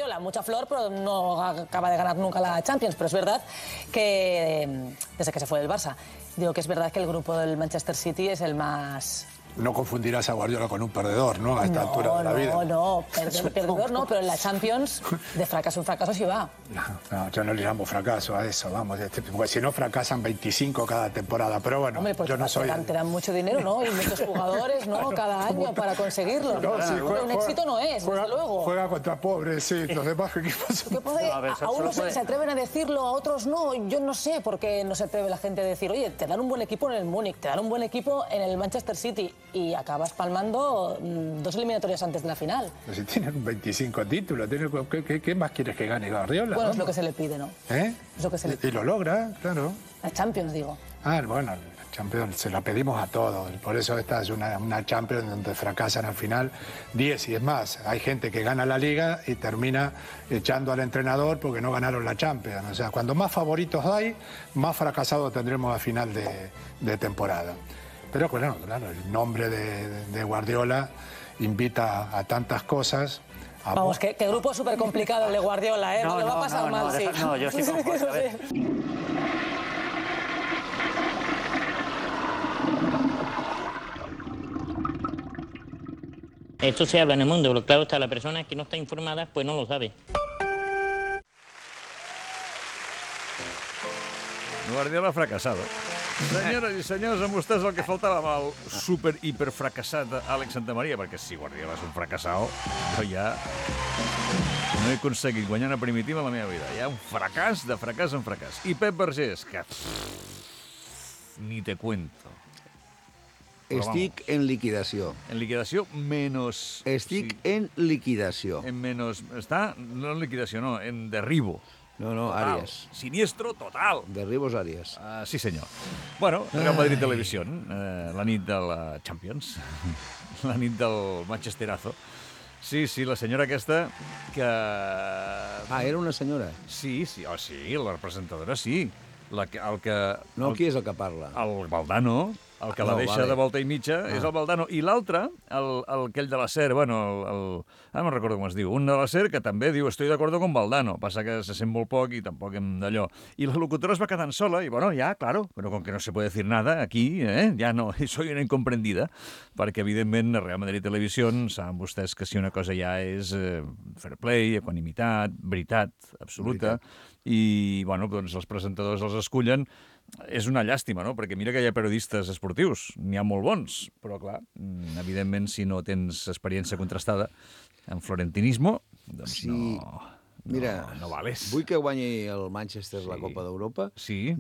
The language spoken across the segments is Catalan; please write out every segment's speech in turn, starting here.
Guardiola, mucha flor, pero no acaba de ganar nunca la Champions. Pero es verdad que, desde que se fue del Barça, digo que es verdad que el grupo del Manchester City es el más... No confundirás a Guardiola con un perdedor, ¿no? A esta altura de la vida. No, perdedor no, pero en la Champions de fracaso en fracaso sí va. No, yo no le llamo fracaso a eso, vamos. Porque si no fracasan 25 cada temporada, pero bueno, hombre, pues yo no soy... Te dan mucho dinero, ¿no? Y muchos jugadores, ¿no? Cada año para conseguirlo. No, sí, un éxito no es, desde luego. Juega contra pobres, sí, los demás equipos... A unos se atreven a decirlo, a otros no. Yo no sé por qué no se atreve la gente a decir, oye, te dan un buen equipo en el Múnich, te dan un buen equipo en el Manchester City y acabas palmando 2 eliminatorias antes de la final. Pero si tienen 25 títulos, ¿qué más quieres que gane Guardiola? Bueno, es lo que se le pide, ¿no? ¿Eh? Es lo que se le pide. Y lo logra, claro. La Champions, digo. Bueno, la Champions se la pedimos a todos. Por eso esta es una Champions donde fracasan al final 10 y es más. Hay gente que gana la Liga y termina echando al entrenador porque no ganaron la Champions. O sea, cuando más favoritos hay, más fracasados tendremos a final de temporada. Pero claro, el nombre de Guardiola invita a tantas cosas. Vamos, que grupo súper complicado el de Guardiola, ¿eh? No, lo va a pasar mal, sí. No, yo sí concuerdo. Esto se habla en el mundo, pero claro está, la persona que no está informada pues no lo sabe. Guardiola fracasado. Senyores i senyors, amb vostès el que faltava amb el super-hiper-fracassat Àlex Santamaria, perquè si Guardiola és un fracassat, jo ja no he aconseguit guanyar una primitiva a la meva vida. Hi ha un fracàs de fracàs en fracàs. I Pep Vergés, que ni te cuento. Estic en liquidació. En liquidació menys... Estic en liquidació. En menys... Està? No en liquidació, no, en derribo. No, Àries. Siniestro total. Derribos Àries. Sí, senyor. Bueno, Real Madrid Televisión, la nit de la Champions, la nit del Manchesterazo. Sí, la senyora aquesta que... Era una senyora? Sí, la presentadora sí. Qui és el que parla? El Valdano. El que la deixa de volta i mitja és el Valdano. I l'altre, aquell de la SER, bueno, no recordo com es diu, un de la SER que també diu estoy de acuerdo con Valdano, passa que se sent molt poc i tampoc hem d'allò. I la locutora es va quedant sola i, bueno, ja, claro, però com que no se puede decir nada aquí, ja no, soy una incomprendida, perquè, evidentment, a Real Madrid Televisió saben vostès que si una cosa ja és fair play, equanimitat, veritat absoluta, i, bueno, doncs els presentadors els escullen. És una llàstima, no? Perquè mira que hi ha periodistes esportius, n'hi ha molt bons, però clar, evidentment, si no tens experiència contrastada en florentinismo, doncs no vales. Vull que guanyi el Manchester la Copa d'Europa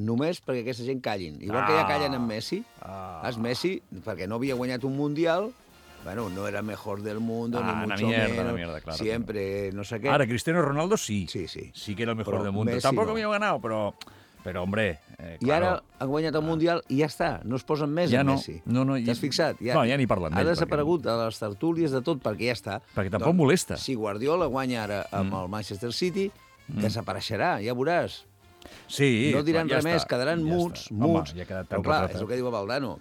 només perquè aquesta gent callin. Igual que ja callen amb Messi. Messi, perquè no havia guanyat un Mundial, bueno, no era mejor del mundo, ni mucho menos, claro, siempre no sé qué. Ahora, Cristiano Ronaldo sí que era el mejor del mundo. Tampoc havia ganado, però, hombre... I ara ha guanyat el Mundial i ja està, no es posen més en Messi. T'has fixat? No, ja ni parlen d'ell. Ha desaparegut a les tertúlies de tot perquè ja està. Perquè tampoc molesta. Si Guardiola guanya ara amb el Manchester City, desapareixerà, ja veuràs. Sí, no diran res més, quedaran muts. Però clar, és el que diu Valdano.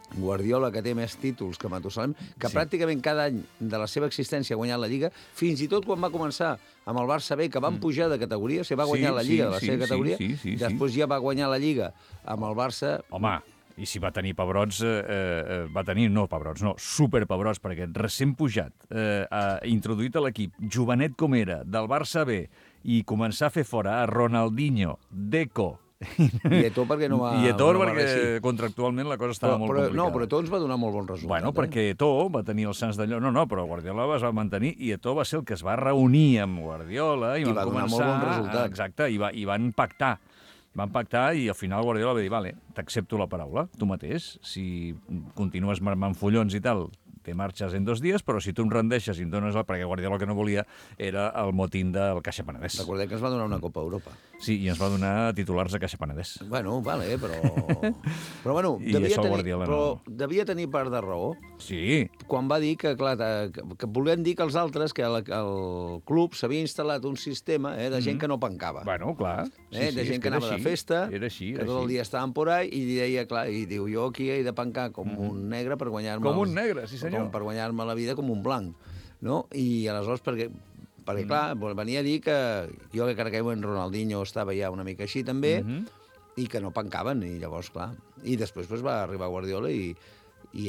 Guardiola, que té més títols que Matusalem, que pràcticament cada any de la seva existència ha guanyat la Lliga, fins i tot quan va començar amb el Barça B, que van pujar de categoria, va guanyar la Lliga de la seva categoria, després ja va guanyar la Lliga amb el Barça... Home, i si va tenir pebrots, superpebrots, perquè recent pujat, introduït a l'equip, jovenet com era, del Barça B, i començar a fer fora a Ronaldinho, Deco, i Eto'o perquè no va... I Eto'o perquè contractualment la cosa estava molt complicada. No, però Eto'o ens va donar molt bon resultat. Bueno, perquè Eto'o va tenir els sants d'allò... No, però Guardiola es va mantenir i Eto'o va ser el que es va reunir amb Guardiola i va donar molt bon resultat. Exacte, i van pactar. Van pactar i al final Guardiola va dir, vale, t'accepto la paraula, tu mateix, si continues marmant follons i tal, te marxes en 2 dies, però si tu em rendeixes i em dones perquè Guardiola el que no volia era el motín del Caixa Penedès. Recordem que ens va donar una Copa Europa. Sí, i ens va donar titulars a Caixa Penedès. Bueno, vale, però bueno, devia tenir part de raó. Sí. Quan va dir que, clar, que volien dir que els altres, que el club s'havia instal·lat un sistema de gent que no pencava. Bueno, clar. De gent que anava de festa, que tot el dia estaven por ahí, i deia, clar, i diu, jo aquí he de pencar com un negre per guanyar-me... Com un negre, sí senyor. Per guanyar-me la vida com un blanc, no? I aleshores, perquè perquè clar, venia a dir que jo crec que en Ronaldinho estava ja una mica així també, i que no pencaven, i llavors, clar. I després va arribar Guardiola i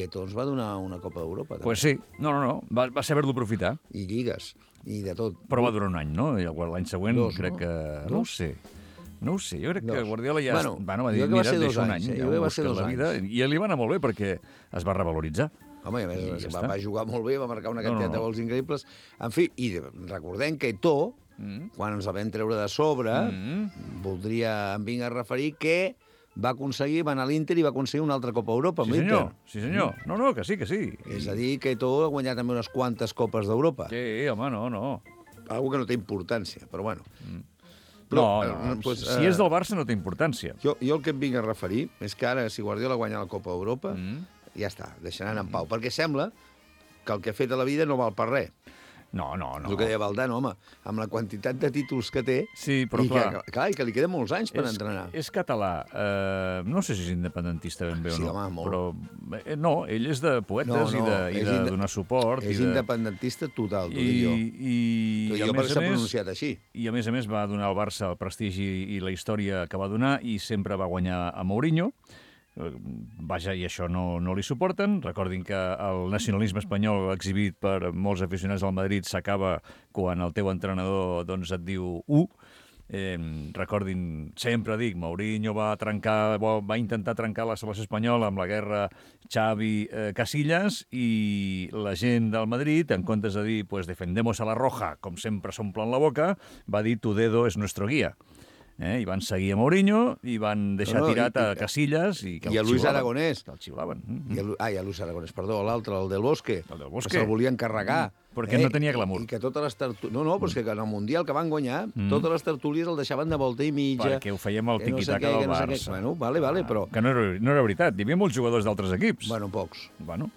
Eto'o ens va donar una Copa d'Europa. Pues sí, no, va saber-lo aprofitar. I lligues, i de tot. Però va durar un any, no? I l'any següent crec que... No ho sé, jo crec que Guardiola ja... va dir, mira, deixa un any, ja va buscar la vida, i li va anar molt bé perquè es va revaloritzar. Home, i a més va jugar molt bé, va marcar una quantitat de gols increïbles. En fi, i recordem que Eto'o, quan ens la vam treure de sobre, em vinc a referir que va anar a l'Inter i va aconseguir una altra Copa D'Europa amb l'Inter. Sí, senyor. No, que sí. És a dir, que Eto'o ha guanyat també unes quantes Copes d'Europa. Sí, home, no. Algo que no té importància, però bueno. Si és del Barça no té importància. Jo el que em vinc a referir és que ara, si Guardiola guanya la Copa d'Europa, ja està, deixaran en pau. Perquè sembla que el que ha fet a la vida no val per res. No. El que deia Valdano, home, amb la quantitat de títols que té... Sí, però clar... I que li queden molts anys per entrenar. És català. No sé si és independentista ben bé o no. Sí, home, molt. Però no, ell és de poetes i de donar suport. És independentista total, t'ho dic jo. Jo perquè s'ha pronunciat així. I a més va donar al Barça el prestigi i la història que va donar i sempre va guanyar a Mourinho. Vaja, i això no li suporten. Recordin que el nacionalisme espanyol exhibit per molts aficionats del Madrid s'acaba quan el teu entrenador et diu u. Recordin, sempre dic, Mourinho va intentar trencar la selecció espanyola amb la guerra Xavi-Casillas i la gent del Madrid, en comptes de dir pues defendemos a la roja, com sempre s'omplen la boca, va dir tu dedo es nuestro guía. I van seguir a Mourinho i van deixar tirat a Casillas i a Luis Aragonès. Que el xiulaven. A Luis Aragonès, perdó, l'altre, el del Bosque. Que se'l volien carregar. Perquè no tenia glamour. I que totes les tertúlies... No, però és que en el Mundial que van guanyar, totes les tertúlies el deixaven de volta i mitja. Perquè ho fèiem al tiqui-taca del Barça. Bueno, vale, però... Que no era veritat. Hi havia molts jugadors d'altres equips. Bueno, pocs. Bueno,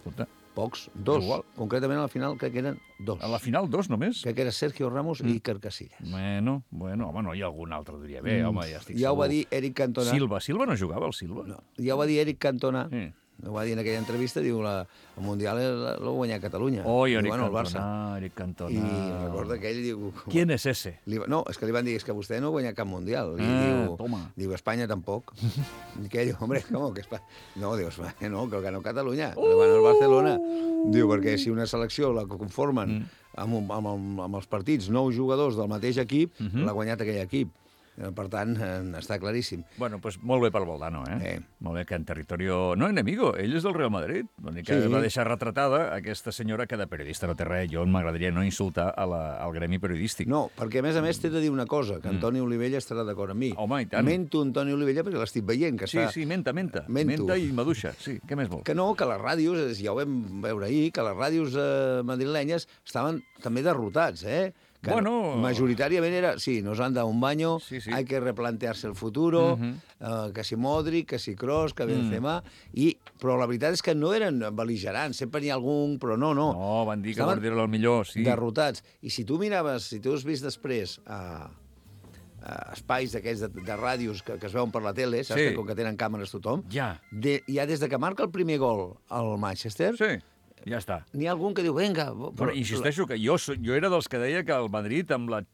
escolta... Pocs, dos. Igual. Concretament a la final crec que eren dos. A la final dos només? Crec que era Sergio Ramos i Iker Casillas. Bueno, home, no hi ha algun altre, diria bé, home, ja estic segur. Ja ho va dir Eric Cantona. Silva no jugava, el Silva? No, ja ho va dir Eric Cantona. Ho va dir en aquella entrevista, diu, el Mundial l'ha guanyat Catalunya. Eric Cantona. I recorda que ell diu... ¿Quién es ese? No, és que li van dir, és que vostè no ha guanyat cap Mundial. I diu, Espanya tampoc. I que diu, hombre, com que Espanya... No, diu, Espanya no, que ganó Catalunya, que ganó el Barcelona. Diu, perquè si una selecció la conformen amb els partits 9 jugadors del mateix equip, l'ha guanyat aquell equip. Per tant, està claríssim. Bueno, pues molt bé pel Valdano, Molt bé, que en territorio no enemigo. Ell és del Real Madrid. Que va deixar retratada aquesta senyora que de periodista no té res. Jo m'agradaria no insultar al gremi periodístic. No, perquè a més t'he de dir una cosa, que Antoni Olivella estarà d'acord amb mi. Home, i tant. Mento Antoni Olivella perquè l'estic veient. Que sí, menta. Menta i maduixa. Sí, què més vol? Que no, que les ràdios, ja ho vam veure ahir, que les ràdios madrilenyes estaven també derrotats, Que majoritàriament era, sí, nos han dado un baño, hay que replantearse el futuro, que si Modric, que si Kroos, que Benzema, però la veritat és que no eren bel·ligerants, sempre n'hi ha algun, però no. No, van dir que Guardiola era el millor, sí. Derrotats. I si tu miraves, si tu has vist després espais d'aquests de ràdios que es veuen per la tele, saps que com que tenen càmeres tothom, ja des de que marca el primer gol al Manchester... Sí. Ja està. N'hi ha algun que diu, vinga... Però insisteixo que jo era dels que deia que el Madrid, amb la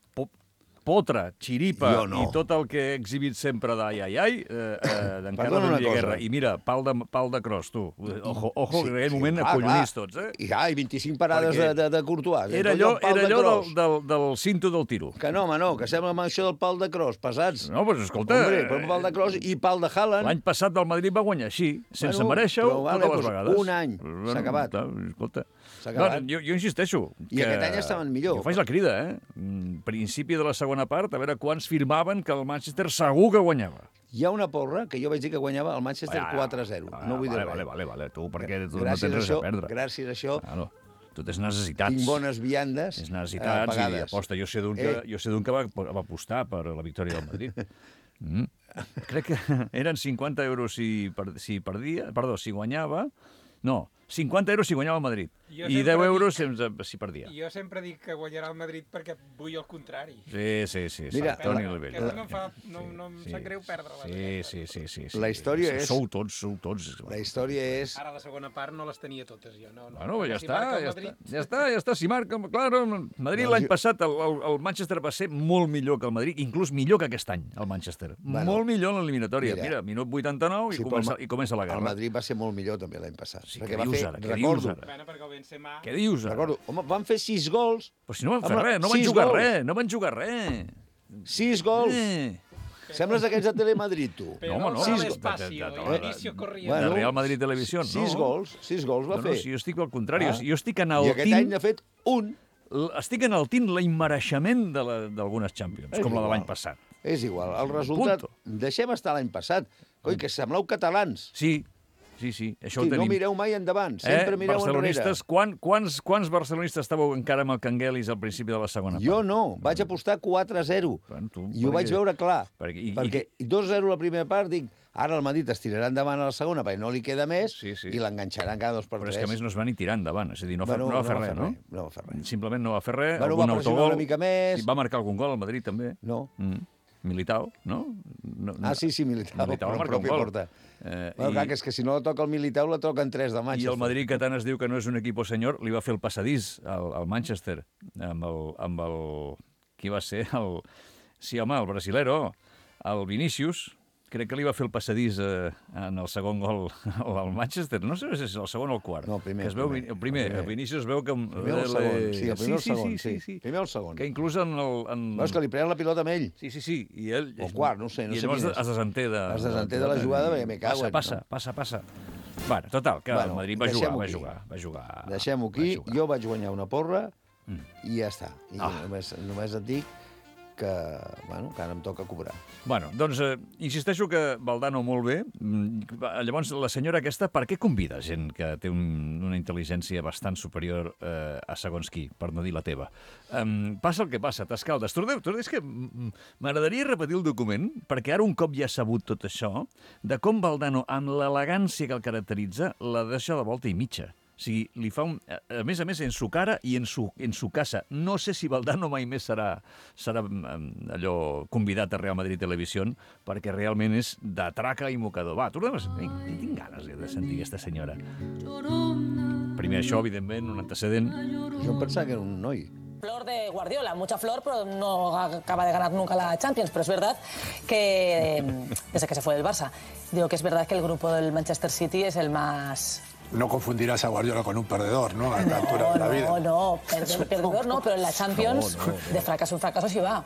potra, xiripa i tot el que he exhibit sempre d'ai, d'encara no hi ha guerra. I mira, pal de Kroos, tu. Ojo, que en aquell moment acollonís tots, I 25 parades de Courtois. Era allò del cinto del tiro. Que no, home, no, que sembla amb això del pal de Kroos, pesats. No, doncs escolta... Hombre, pal de Kroos i pal de Haaland. L'any passat del Madrid va guanyar així, sense merèixer-ho, totes les vegades. Un any, s'ha acabat. Escolta... Jo insisteixo. I aquest any estaven millor. Jo faig la crida, Principi de la segona part, a veure quants firmaven que el Manchester segur que guanyava. Hi ha una porra que jo vaig dir que guanyava el Manchester 4-0. No vull dir res. Vale. Tu, perquè tu no tens res a perdre. Gràcies a això... Tu tens necessitats. Tinc bones viandes tens necessitats i aposta. Jo sé d'un que va apostar per la victòria del Madrid. Crec que eren 50 euros si guanyava... No, 50 euros si guanyava el Madrid. I 10 euros si perdia. Jo sempre dic que guanyarà el Madrid perquè vull el contrari. Sí. Mira, Toni Olivella. No em sap greu perdre-la. Sí. La història és... Sou tots. La història és... Ara la segona part no les tenia totes, jo. Bueno, ja està. Si marca... Claro, Madrid l'any passat, el Manchester va ser molt millor que el Madrid, inclús millor que aquest any, el Manchester. Molt millor en l'eliminatòria. Mira, minut 89 i comença la guerra. El Madrid va ser molt millor també l'any passat. Sí, què dius ara? Què dius ara? Recordo, home, van fer 6 gols. Però si no van fer res, no van jugar res. 6 gols. Sembles d'aquells de Telemadrid, tu. No, de Real Madrid Televisió, no. 6 gols va fer. No, si jo estic al contrari, jo estic en el I aquest any n'ha fet un. Estic enaltint l'immereixement d'algunes Champions, com la de l'any passat. És igual, el resultat... Deixem estar l'any passat. Coi, que sembleu catalans. Sí, això ho tenim. No mireu mai endavant, sempre mireu enrere. Quants barcelonistes estàveu encara amb el Canguelis al principi de la segona part? Jo no, vaig apostar 4-0. I ho vaig veure clar. Perquè 2-0 la primera part, dic, ara el Madrid es tirarà endavant a la segona perquè no li queda més i l'enganxaran cada 2 per 3. Però és que a més no es va ni tirar endavant, és a dir, no va fer res, no? No va fer res. Simplement no va fer res, va algun pressionar autogol. una mica més. Va marcar algun gol al Madrid també. No. Militao, no? Sí, Militao va marcar un gol. Clar, que és que si no la toca el Militao, la toquen 3 de Manchester. I el Madrid, que tant es diu que no és un equip senyor, li va fer el passadís al Manchester, amb el... Qui va ser? Sí, home, el brasilero, el Vinícius. Crec que li va fer el passadís en el segon gol al Manchester. No sé si és el segon o el quart. No, el primer. El primer. El Vinícius es veu que... Primer o el segon. Sí, el primer o el segon. Sí. Primer o el segon. Que inclús en... És que li prenen la pilota amb ell. Sí. I ell... O quart, no sé. I llavors es desenté de... Es desenté de la jugada perquè me cago en... Passa. Bueno, total, que el Madrid va jugar. Deixem-ho aquí. Jo vaig guanyar una porra i ja està. I només et dic que ara em toca cobrar. Bueno, doncs insisteixo que Valdano molt bé. Llavors, la senyora aquesta, per què convida gent que té una intel·ligència bastant superior a segons qui, per no dir la teva? Passa el que passa, t'escaldes. És que m'agradaria repetir el document, perquè ara un cop ja ha sabut tot això, de com Valdano, amb l'elegància que el caracteritza, la deixa de volta i mitja. O sigui, li fa a més, en su cara i en su casa. No sé si Valdano mai més serà allò convidat a Real Madrid Televisió, perquè realment és de traca i mocador. Va, tornem a sentir. Tinc ganes de sentir aquesta senyora. Primer això, evidentment, un antecedent. Jo em pensava que era un noi. Flor de Guardiola, mucha flor, pero no acaba de ganar nunca la Champions. Pero es verdad que, desde que se fue del Barça, digo que es verdad que el grupo del Manchester City es el más... No confundirás a Guardiola con un perdedor, ¿no? A esta altura de la vida. No, perdedor no, pero en la Champions de fracaso en fracaso sí va.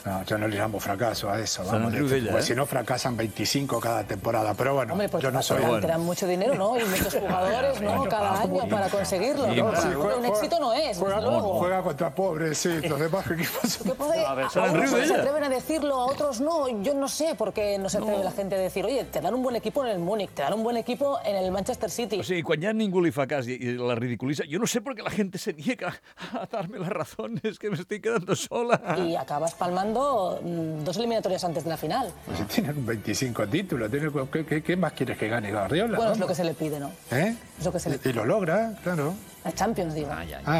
No, yo no le llamo fracaso a eso. Vamos, pues si no fracasan 25 cada temporada, pero bueno, hombre, pues yo no soy... Te dan mucho dinero, ¿no? Y muchos jugadores, ¿no? Cada año para conseguirlo. Un éxito no es, desde luego. Juega contra pobres, sí, los demás equipos... A unos se atreven a decirlo, a otros no. Yo no sé por qué no se atreve la gente a decir, oye, te dan un buen equipo en el Múnich, te dan un buen equipo en el Manchester City. O sigui, quan ja ningú li fa cas i la ridiculitza, yo no sé por qué la gente se niega a darme la razón, es que me estoy quedando sola. Y acabas palmando 2 eliminatorias antes de la final. Pues si tienen 25 títulos, ¿qué más quieres que gane Guardiola? Bueno, es lo que se le pide, ¿no? Es lo que se le pide. Y lo logra, claro. La Champions, digo.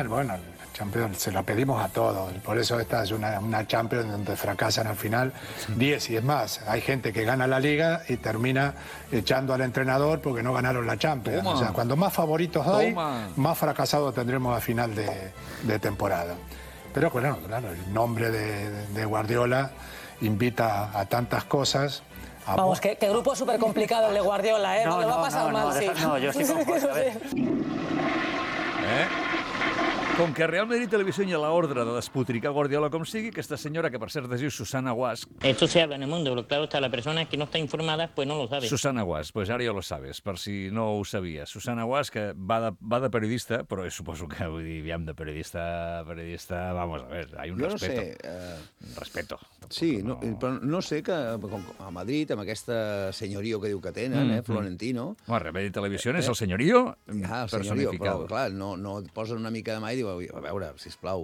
Bueno, la Champions se la pedimos a todos. Por eso esta es una Champions donde fracasan al final 10. Y es más, hay gente que gana la Liga y termina echando al entrenador porque no ganaron la Champions. O sea, cuando más favoritos hay, más fracasados tendremos a final de temporada. Pero claro, el nombre de Guardiola invita a tantas cosas. Vamos, que grupo súper complicado el de Guardiola, ¿eh? No, le va a pasar mal, sí. No, yo estoy con Jorge. Com que Real Madrid Televisió hi ha l'ordre de despotricar Guardiola com sigui, aquesta senyora, que per cert es diu Susana Guas... Esto se habla en el mundo, pero claro está, la persona que no está informada, pues no lo sabe. Susana Guas, pues ara ja lo sabes, per si no ho sabies. Susana Guas, que va de periodista, però suposo que, vull dir, aviam, de periodista, vamos a ver, hay un respeto. No sé... Respeto. Sí, però no sé que a Madrid, amb aquesta senyorio que diu que tenen, Florentino... Real Madrid Televisió és el senyorio personificado. Però, clar, no et posen una mica de mà i diu, a veure, sisplau,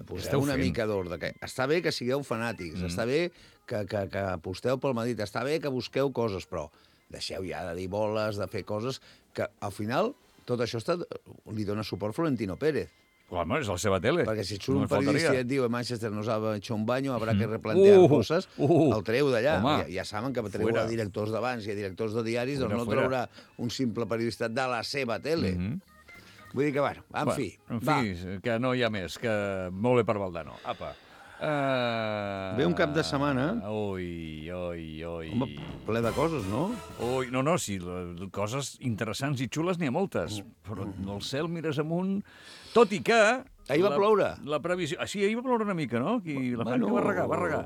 poseu una mica d'ordre. Està bé que sigueu fanàtics, està bé que aposteu pel Madrid, està bé que busqueu coses, però deixeu ja de dir boles, de fer coses que al final tot això li dona suport Florentino Pérez. Home, és la seva tele. Perquè si surt un periodista i et diu Manchester nos ha hecho un baño, habrá que replantear coses, el treu d'allà. Ja saben que treu a directors d'abans i a directors de diaris, doncs no traurà un simple periodista de la seva tele. Vull dir que, bueno, en fi. En fi, que no hi ha més, que molt bé per Valdano. Apa. Ve un cap de setmana... Ui. Home, ple de coses, no? Ui, no, sí, coses interessants i xules n'hi ha moltes, però el cel mires amunt... Tot i que... Ahir va ploure. La previsió... Sí, ahir va ploure una mica, no? La Franca va regar.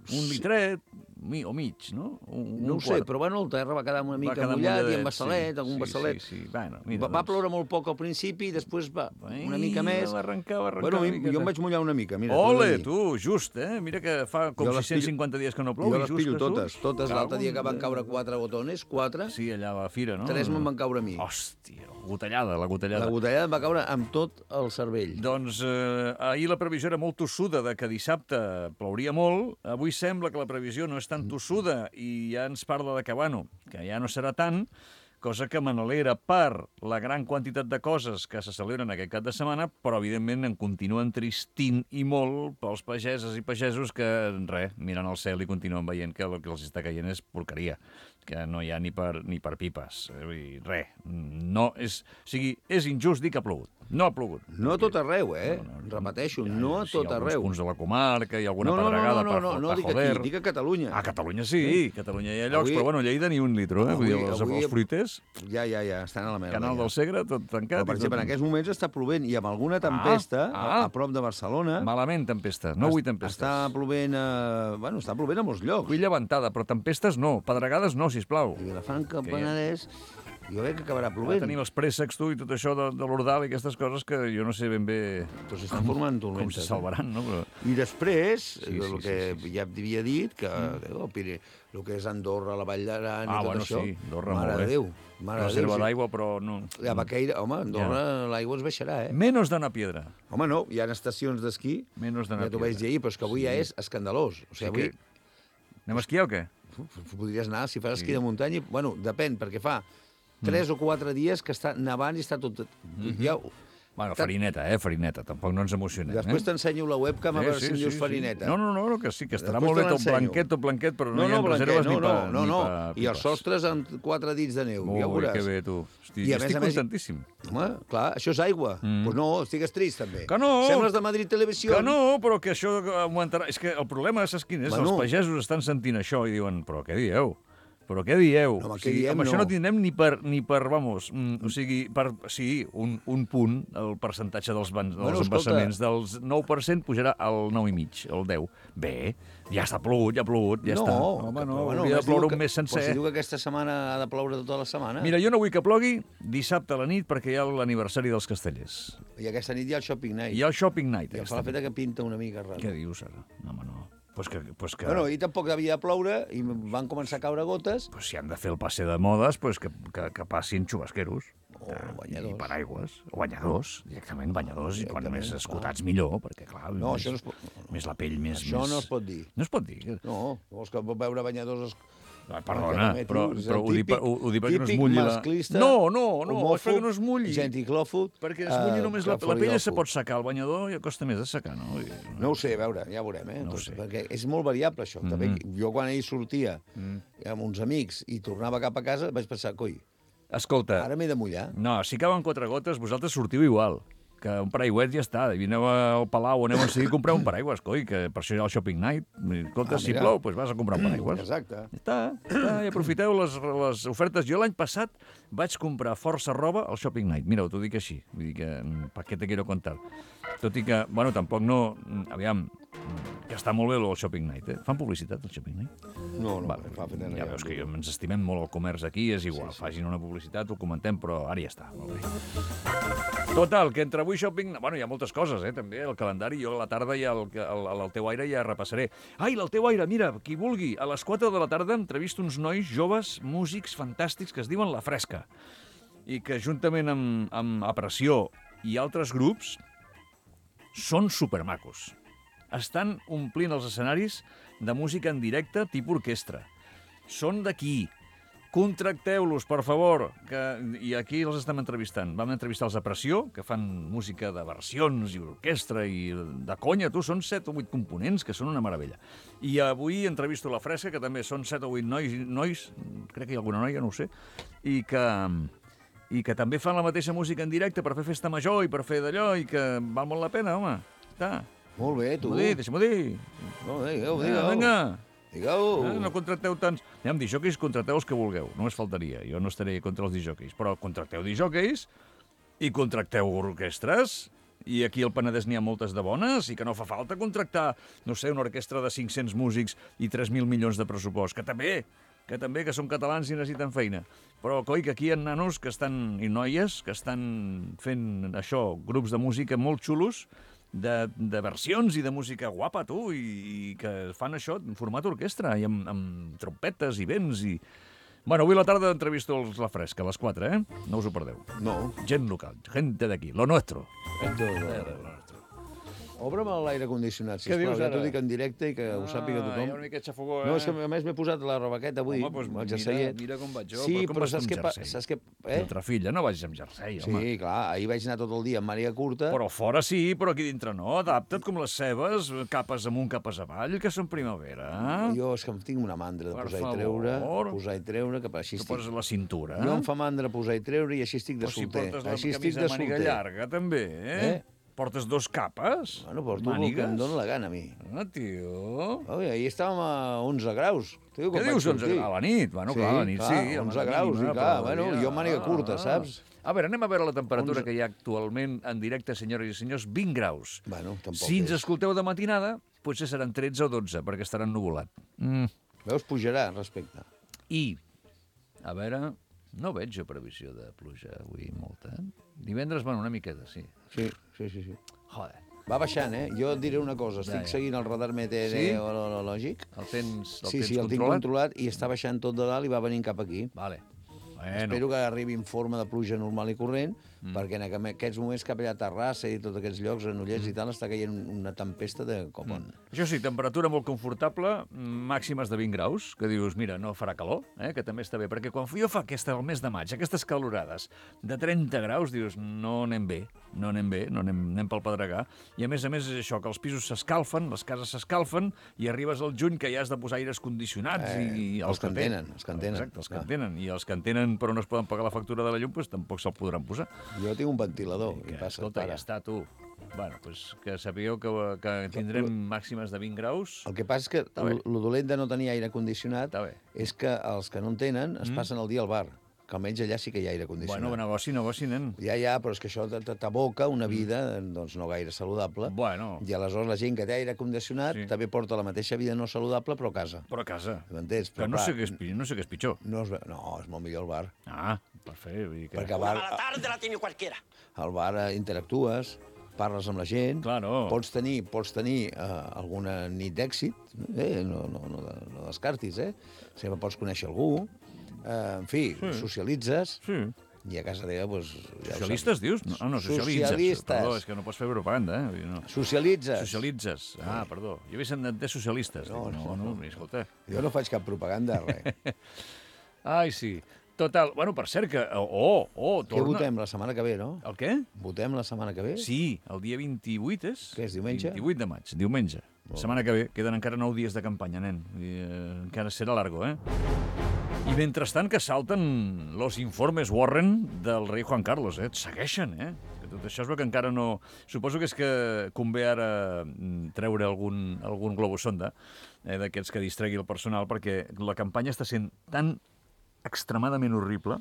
Un litret o mig, no? No ho sé, però bueno, el terra va quedar una mica mullat i amb bassalet, algun bassalet. Sí. Bueno, mira, va ploure molt poc al principi i després va una mica més. Va arrencar bueno, jo em vaig mullar una mica, mira. Ole, tu, just, eh? Mira que fa com 650 dies que no plou. Jo les pillo totes. L'altre dia que van caure 4 botones, 4. Sí, allà a la fira, no? 3 me'n van caure a mi. Hòstia, la gotellada. La gotellada em va caure amb tot el cervell. Doncs ahir la previsió era molt tossuda de que dissabte plouria molt. Avui sembla que la previsió no és tan tossuda i ja ens parla de que, bueno, que ja no serà tant, cosa que me n'alegra per la gran quantitat de coses que se celebren aquest cap de setmana, però evidentment em continuen tristint i molt pels pageses i pagesos que, miren al cel i continuen veient que el que els està caient és porqueria, que no hi ha ni per pipes. No, és injust dir que ha plogut. No ha plogut. No a tot arreu, repeteixo, no a tot arreu. Alguns punts de la comarca i alguna pedregada per joder. No, dic a Catalunya. A Catalunya sí, a Catalunya hi ha llocs, però bueno, Lleida ni un litro, eh? Vull dir, els fruiters... Ja, estan a la merda. Canal del Segre, tot tancat. Però, per exemple, en aquests moments està plovent i amb alguna tempesta a prop de Barcelona... Malament, tempesta. No vull tempestes. Està plovent a molts llocs. Vull llevantada, però tempestes no. Pedregades no, sisplau. I Vilafranca, Penedès... Jo crec que acabarà plovent. Tenim els préssecs, tu, i tot això de l'Ordal i aquestes coses que jo no sé ben bé... Però s'estan formant tormentes. Com se salvaran, no? Però... I després, el que ja havia dit, que el que és Andorra, la Vall d'Aran i tot això... Sí, Andorra, mare de Déu. Reserva d'aigua, però no... A Baqueira, home, Andorra l'aigua es baixarà, eh? Menos de una piedra. Home, no, hi ha estacions d'esquí, ja t'ho vaig dir ahir, però és que avui ja és escandalós. O sigui, avui... Anem a esquiar o què? Podries anar, si fas esquí de muntanya... Bueno, depèn, perquè fa 3 o 4 dies que està nevant i està tot... Bueno, farineta, farineta. Tampoc no ens emocionem. Després t'ensenyo la webcam a veure si em dius farineta. No, que sí, que estarà molt bé tot blanquet, però no hi ha reserves ni per... No, i els sostres amb 4 dits de neu, ja ho veuràs. Que bé, tu. Estic contentíssim. Home, clar, això és aigua. Doncs no, estigues trist, també. Que no! Sembles de Madrid Televisió. Que no, però que això augmentarà... És que el problema, saps quin és? Els pagesos estan sentint això i diuen, però què dieu? Però què dieu? No, amb això no tindrem ni per vamos, o sigui, un punt, el percentatge dels embassaments del 9% pujarà al 9,5, al 10. Bé, ja està plogut, ja està. Home, no, hauria de ploure un mes sencer. Però si diu que aquesta setmana ha de ploure tota la setmana. Mira, jo no vull que plogui dissabte a la nit perquè hi ha l'aniversari dels Castellers. I aquesta nit hi ha el Shopping Night. Hi ha el Shopping Night. I fa la feta que pinta una mica rara. Què dius, ara? No, home, no. Pues que... Bueno, i tampoc havia de ploure i van començar a caure gotes. Pues si han de fer el passe de modes, pues que passin xubasqueros. O banyadors. I paraigües. O banyadors, directament banyadors. I quan més escotats millor, perquè clar... No, això no es pot... Més la pell, més... Això no es pot dir. No es pot dir? No, vols que veure banyadors... Perdona, però ho dic perquè no es mulli la... No, és perquè no es mulli. Genticlòfug. Perquè es mulli només la pell se pot secar, el banyador ja costa més de secar, no? No ho sé, a veure, ja veurem, eh? No ho sé. Perquè és molt variable, això. També, jo quan ell sortia amb uns amics i tornava cap a casa, vaig pensar, coi, escolta, ara m'he de mullar. No, si cauen 4 gotes, vosaltres sortiu igual. Que un paraigüet ja està. I aneu al Palau, aneu a seguir a comprar un paraigües, coi, que per això hi ha el Shopping Night. Escolta, si plou, doncs vas a comprar un paraigües. Exacte. Ja està, i aprofiteu les ofertes. Jo l'any passat vaig comprar força roba al Shopping Night. Mira, t'ho dic així. Vull dir que, pa què te quiero contar? Tot i que, bueno, tampoc no... Aviam, que està molt bé el Shopping Night, eh? Fan publicitat, el Shopping Night? No, ja veus que ens estimem molt el comerç aquí, és igual. Facin una publicitat, ho comentem, però ara ja està. Molt bé. Total, que entre avui shopping... Bueno, hi ha moltes coses, també, el calendari. Jo a la tarda ja al teu aire ja repassaré. Ai, el teu aire, mira, qui vulgui. A les 4 de la tarda entrevisto uns nois joves, músics fantàstics, que es diuen La Fresca. I que juntament amb Apressió i altres grups són supermacos. Estan omplint els escenaris de música en directe tipus orquestra. Són d'aquí. Contracteu-los, per favor, i aquí els estem entrevistant. Vam entrevistar els de Pressió, que fan música de versions i orquestra i de conya, són 7 o 8 components, que són una meravella. I avui entrevisto la Fresca, que també són 7 o 8 nois, crec que hi ha alguna noia, no ho sé, i que també fan la mateixa música en directe per fer festa major i per fer d'allò, i que val molt la pena, home. Està. Molt bé, tu. Deixa'm-ho dir. No, digueu. Vinga. Digueu. No contracteu tants... Anem, disjòqueis, contracteu els que vulgueu. Només faltaria. Jo no estaré contra els disjòqueis. Però contracteu disjòqueis i contracteu orquestres. I aquí al Penedès n'hi ha moltes de bones i que no fa falta contractar, no sé, una orquestra de 500 músics i 3.000 milions de pressupost. Que també, que són catalans i necessiten feina. Però, coi, que aquí hi ha nanos que estan, i noies que estan fent això, grups de música molt xulos, de versions i de música guapa, tu, i que fan això en format orquestra, i amb trompetes i vents, i... Bueno, avui a la tarda entrevisto la Fresca, a les 4, No us ho perdeu. No. Gent local, gente d'aquí, lo nuestro. Obre'm l'aire condicionat, Què sisplau, dius ja ara? t'ho dic en directe i que ho sàpiga tothom. Hi ha una mica de xafogó, No, és que a més m'he posat la robaqueta avui, Home, doncs el jerseiet. mira com vaig jo, Sí, però com però vas saps amb què jersei? Saps què... Altra filla, no vagis amb jersei, home. Sí, clar, ahir vaig anar tot el dia amb màniga curta. Però fora sí, però aquí dintre no. Adapta't com les cebes, capes amunt, capes avall, que són primavera. Jo és que em tinc una mandra de Per posar favor. i treure, que per així Tu estic... poses la cintura. Jo em fa mandra posar i treure i així estic de Però si solter. portes la Així estic camisa de màniga solter. llarga, també, Portes 2 capes? Bueno, porto el que em dona la gana a mi. Ah, tio... Oi, ahir estàvem a 11 graus. Què dius, 11? A la nit? Bueno, clar, a la nit sí. 11 graus, i clar, bueno, jo amb màniga curta, saps? A veure, anem a veure la temperatura que hi ha actualment en directe, senyores i senyors, 20 graus. Bueno, tampoc Si ens és. escolteu de matinada, potser seran 13 o 12, perquè estaran nuvolat. Veus, pujarà respecte. I, a veure, no veig jo previsió de pluja avui molta. Divendres, bueno, una miqueta, sí. Sí. Joder. Va baixant, Jo et diré una cosa. Estic seguint el radar meteorològic. El tens Sí, el tinc controlat i està baixant tot de dalt i va venint cap aquí. Vale. Espero que arribi en forma de pluja normal i corrent, perquè en aquests moments cap allà a Terrassa i tots aquests llocs, Granollers i tal, està caient una tempesta de copon. Això sí, temperatura molt confortable, màximes de 20 graus, que dius, mira, no farà calor, que també està bé, perquè quan jo fa el mes de maig, aquestes calorades de 30 graus, dius, no anem bé, anem pel pedregar, i a més és això, que els pisos s'escalfen, les cases s'escalfen, i arribes al juny que ja has de posar aires condicionats i els que en tenen. Exacte, els que en tenen, i els que en tenen però no es poden pagar la factura de la llum, doncs tampoc se'l podran posar. Jo tinc un ventilador. Escolta, ja està, tu. Bueno, doncs que sapigueu que tindrem màximes de 20 graus. El que passa és que el dolent de no tenir aire condicionat és que els que no en tenen es passen el dia al bar, que almenys allà sí que hi ha aire condicionat. Bueno, negoci, nen. Ja, però és que això t'aboca una vida doncs, no gaire saludable. Bueno. I aleshores la gent que té aire condicionat també porta la mateixa vida no saludable, però a casa. Però a casa. M'entens? Però no sé què és pitjor. No, és molt millor el bar. Ah, per fer. Perquè al bar... Una mala tarde la tiene cualquiera. Al bar interactues, parles amb la gent, claro. Pots tenir alguna nit d'èxit, no descartis, sempre pots conèixer algú, en fi, socialitzes, i a casa teva, doncs... Socialistes, dius? No, socialitzes. Perdó, és que no pots fer propaganda, Socialitzes. Ah, perdó. Jo havia sentit socialistes. No, escolta. Jo no faig cap propaganda, res. Ai, sí. Total, bueno, per cert que... torna... Què votem la setmana que ve, no? El què? Votem la setmana que ve? Sí, el dia 28 és? Què és, diumenge? 28 de maig, diumenge. La setmana que ve, queden encara 9 dies de campanya, nen. Encara serà largo, I mentrestant que salten los informes Warren del rei Juan Carlos, Segueixen, Que tot això es veu que encara no... Suposo que és que convé ara treure algun globus sonda d'aquests que distregui el personal, perquè la campanya està sent tan extremadament horrible,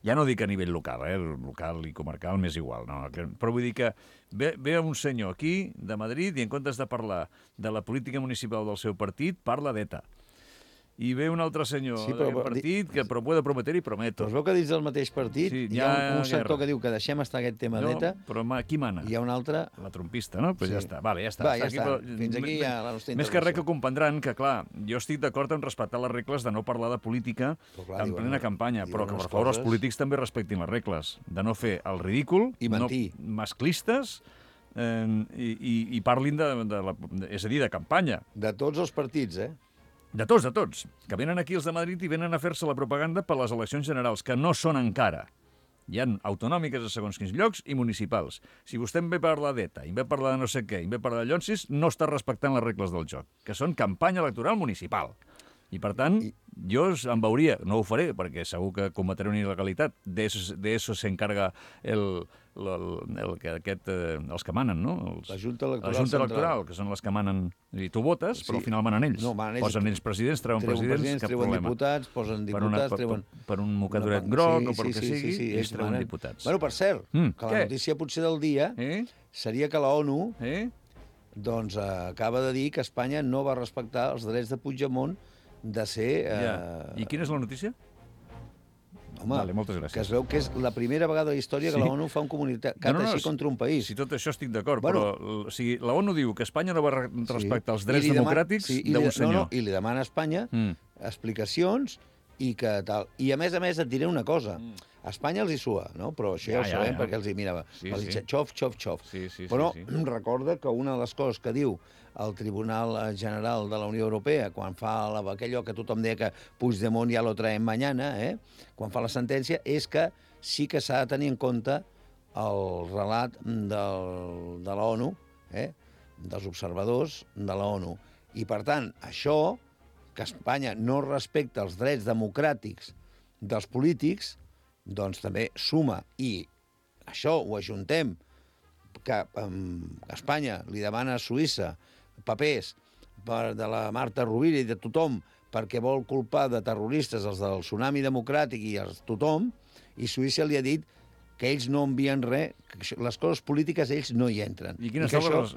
ja no dic a nivell local, local i comarcal m'és igual, no? Però vull dir que ve un senyor aquí, de Madrid, i en comptes de parlar de la política municipal del seu partit, parla d'ETA. I ve un altre senyor del partit que puede prometer i prometo. Però es veu que dins del mateix partit hi ha un sector que diu que deixem estar aquest tema d'ETA. Però qui mana? Hi ha un altre... La trompista, no? Pues ja està. Vale, ja està. Va, ja està. Fins aquí ja la nostra intervenció. Més que res que comprendran que, clar, jo estic d'acord en respectar les regles de no parlar de política en plena campanya, però que, per favor, els polítics també respectin les regles, de no fer el ridícul, i mentir, masclistes, i parlin és a dir, de campanya. De tots els partits, De tots, que venen aquí els de Madrid i venen a fer-se la propaganda per les eleccions generals, que no són encara. Hi ha autonòmiques a segons quins llocs i municipals. Si vostè em ve parlar d'ETA, i em ve parlar de no sé què, i em ve parlar de Llonsis, no està respectant les regles del joc, que són campanya electoral municipal. I, per tant, jo em veuria, no ho faré, perquè segur que cometré una il·legalitat, d'això s'encarga els que manen, no? La Junta Electoral La Junta Electoral, que són les que manen, i tu votes, però al final manen ells. No, manen ells. Posen ells presidents, treuen presidents, cap treuen problema. diputats, posen diputats, treuen... Per un mocadoret groc o per que sigui, ells treuen diputats. Bueno, per cert, que la notícia potser del dia seria que la ONU doncs acaba de dir que Espanya no va respectar els drets de Puigdemont de ser... I quina és la notícia? Home, vale, moltes gràcies. Que es veu que és la primera vegada a la història que la ONU fa un comunicat així contra un país. Si tot això estic d'acord, però la ONU diu que Espanya no va respectar els drets democràtics d'un senyor. I li demana a Espanya explicacions i que tal. I a més et diré una cosa. A Espanya els hi sua, no? Però això ja ho sabem perquè els hi mirava. Els hi xof. Però recorda que una de les coses que diu el Tribunal General de la Unió Europea, quan fa allò que tothom deia que Puigdemont ja lo traem mañana, quan fa la sentència, és que sí que s'ha de tenir en compte el relat de la ONU, dels observadors de la ONU. I, per tant, això, que Espanya no respecta els drets democràtics dels polítics, doncs també suma. I això ho ajuntem, que Espanya li demana a Suïssa papers de la Marta Rovira i de tothom perquè vol culpar de terroristes els del Tsunami Democràtic i tothom, i Suïssa li ha dit que ells no envien res, que les coses polítiques ells no hi entren. I quines són les...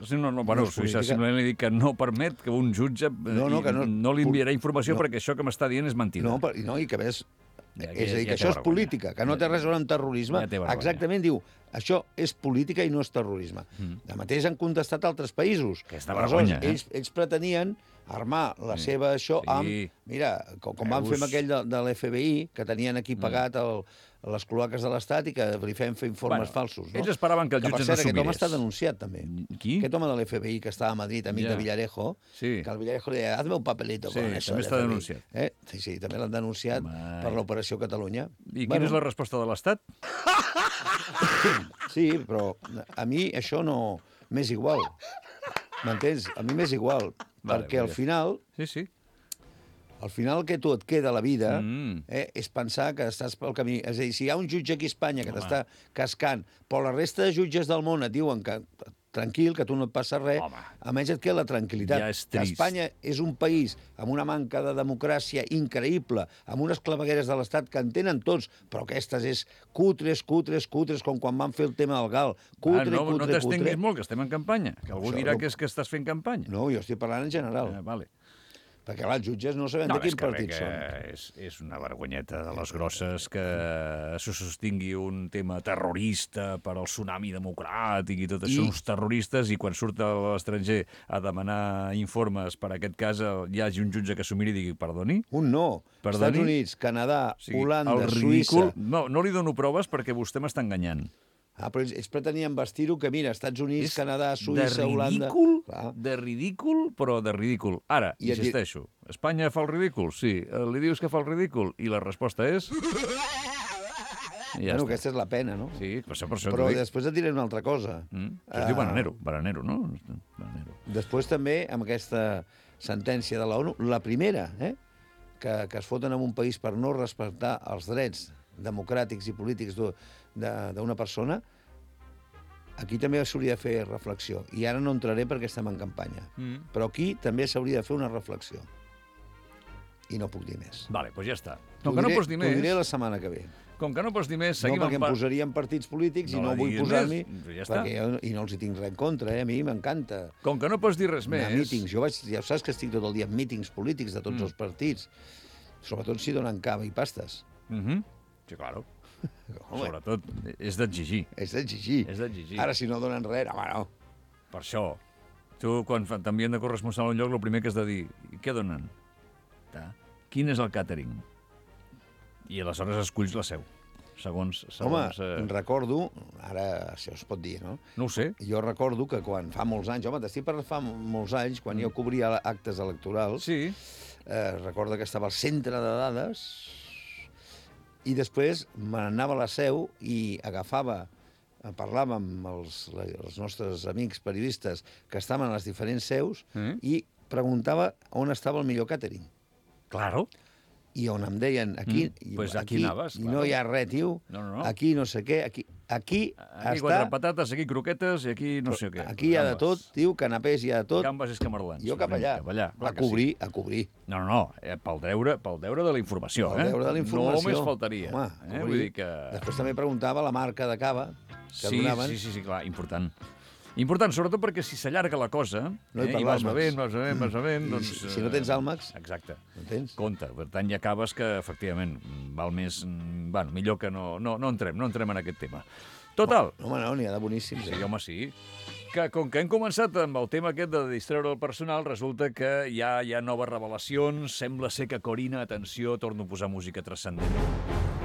Suïssa simplement li dic que no permet que un jutge no li enviarà informació perquè això que m'està dient és mentida. No, i que a més... És a dir, que això és política, que no té res a veure amb terrorisme. Exactament, diu, això és política i no és terrorisme. De mateix han contestat altres països. Aquesta vergonya, ells pretenien armar la seva això amb... Mira, com van fer amb aquell de l'FBI, que tenien aquí pagat les cloaques de l'Estat i que li feien fer informes falsos. Ells esperaven que el jutge no s'ho mirés. Aquest home està denunciat, també. Qui? Aquest home de l'FBI que estava a Madrid, amic de Villarejo, que el Villarejo li deia, hazme un papelito con eso. Sí, també està denunciat. Sí, també l'han denunciat per l'Operació Catalunya. I quina és la resposta de l'Estat? Sí, però a mi això no m'és igual. M'entens? A mi m'és igual. Perquè al final... Sí. Al final el que tu et queda a la vida és pensar que estàs pel camí. És a dir, si hi ha un jutge aquí a Espanya que t'està cascant, però la resta de jutges del món et diuen que tranquil, que tu no et passa res, almenys et queda la tranquil·litat. Ja és trist. Espanya és un país amb una manca de democràcia increïble, amb unes clavegueres de l'Estat que en tenen tots, però aquestes és cutres, com quan van fer el tema del GAL. No t'estenguis molt, que estem en campanya. Que algú dirà que és que estàs fent campanya. No, jo estic parlant en general. Vale. Perquè, clar, els jutges no sabem de quin partit són. És una vergonyeta de les grosses que se sostingui un tema terrorista per al tsunami democràtic i tot això, uns terroristes, i quan surt a l'estranger a demanar informes per aquest cas hi hagi un jutge que s'ho miri i digui, perdoni? Estats Units, Canadà, Holanda, Suïssa... No li dono proves perquè vostè m'està enganyant. Però ells pretenien vestir-ho que, mira, Estats Units, Canadà, Suïssa, Holanda... De ridícul, però de ridícul. Ara, insisteixo, Espanya fa el ridícul? Sí. Li dius que fa el ridícul? I la resposta és... Bueno, aquesta és la pena, no? Sí, per això però després et diré una altra cosa. Es diu Baranero, no? Després també, amb aquesta sentència de l'ONU, la primera, que es foten en un país per no respectar els drets democràtics i polítics d'una persona, aquí també s'hauria de fer reflexió. I ara no entraré perquè estem en campanya. Però aquí també s'hauria de fer una reflexió. I no puc dir més. Vale, doncs ja està. Com que no pots dir més... T'ho diré la setmana que ve. Com que no pots dir més, seguim... No, perquè em posaria en partits polítics i no vull posar-m'hi... I no els hi tinc res en contra, a mi m'encanta. Com que no pots dir res més... Mítings. Ja saps que estic tot el dia en mítings polítics de tots els partits. Sobretot si donen cava i pastes. Sí, claro. Sobretot, és d'exigir. És d'exigir. Ara, si no donen res, home, no. Per això. Tu, quan t'envien de corresponsal a un lloc, el primer que has de dir, què donen? Quin és el càtering? I aleshores esculls la seu. segons... Home, recordo, ara això es pot dir, no? No ho sé. Jo recordo que quan fa molts anys, t'estic parlant fa molts anys, quan jo cobria actes electorals, Sí. recordo que estava al centre de dades i després me n'anava a la seu i parlava amb els nostres amics periodistes que estaven a les diferents seus i preguntava on estava el millor càtering. Claro. I on em deien, aquí, Pues aquí anaves, i no hi ha res, tio, No. aquí no sé què, aquí Aquí està... quatre patates, aquí croquetes i aquí no sé què. Aquí hi ha de tot, tio, canapés hi ha de tot. Gambes i escamarlans. Jo cap allà, clar a que sí. cobrir. No, pel deure de la informació, Pel deure de la informació. Només faltaria. Home, Vull dir que... Després també preguntava la marca de cava que donaven. Sí, clar, important. Important, sobretot perquè si s'allarga la cosa, No hi i parla vas bevent, I doncs... si no tens àlmacs, Exacte. no tens. Compte, per tant hi acabes que, efectivament, val més... Bueno, millor que no entrem en aquest tema. Total. Home, no, n'hi ha de boníssims. Sí, home, sí. Que com que hem començat amb el tema aquest de distreure el personal, resulta que hi ha noves revelacions. Sembla ser que Corina, atenció, torno a posar música transcendent,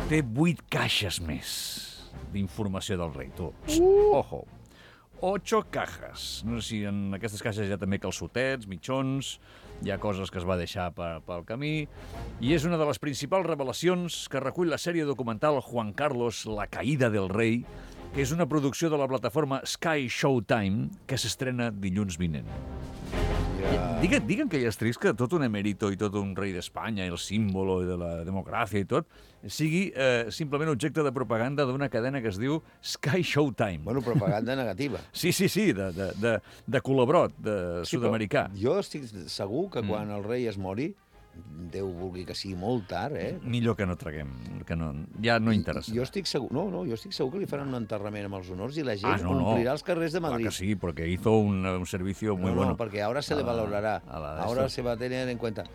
té 8 caixes més d'informació del rei, tu. Ojo. 8 cajas. No sé si en aquestes caixes hi ha també calçotets, mitjons, hi ha coses que es va deixar pel camí, i és una de les principals revelacions que recull la sèrie documental Juan Carlos, la caïda del rei, que és una producció de la plataforma Sky Showtime, que s'estrena dilluns vinent. Digue'm que ja és trist que tot un emèrito i tot un rei d'Espanya, el símbolo de la democràcia i tot, sigui simplement objecte de propaganda d'una cadena que es diu Sky Showtime. Bueno, propaganda negativa. Sí, de col·labrot, de sud-americà. Jo estic segur que quan el rei es mori, Déu vulgui que sigui molt tard, Millor que no traguem, que ja no interessa. Jo estic segur, jo estic segur que li faran un enterrament amb els honors i la gent no. omplirà els carrers de Madrid. Clar que sí, porque hizo un servicio muy bueno. No, porque ahora se le valorará, ahora se va a tener en cuenta.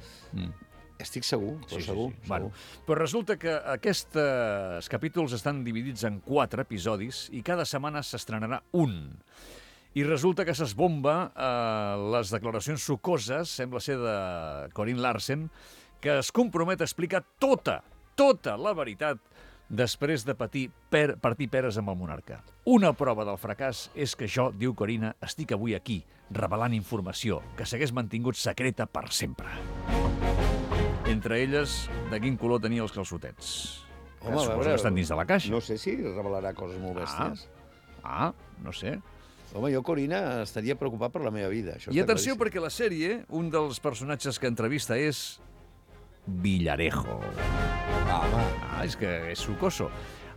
Estic segur, però segur. Bueno, però resulta que aquests capítols estan dividits en 4 episodis i cada setmana s'estrenarà un. I resulta que s'esbomba les declaracions sucoses, sembla ser de Corinne Larsen, que es compromet a explicar tota la veritat després de partir peres amb el monarca. Una prova del fracàs és que jo, diu Corina, estic avui aquí, revelant informació que s'hagués mantingut secreta per sempre. Entre elles, de quin color tenia els calçotets. Home, suposo que estan dins de la caixa. No sé si revelarà coses molt bèsties. No sé. Home, jo, Corina, estaria preocupat per la meva vida. I atenció, perquè la sèrie, un dels personatges que entrevista és Villarejo. És que és sucoso.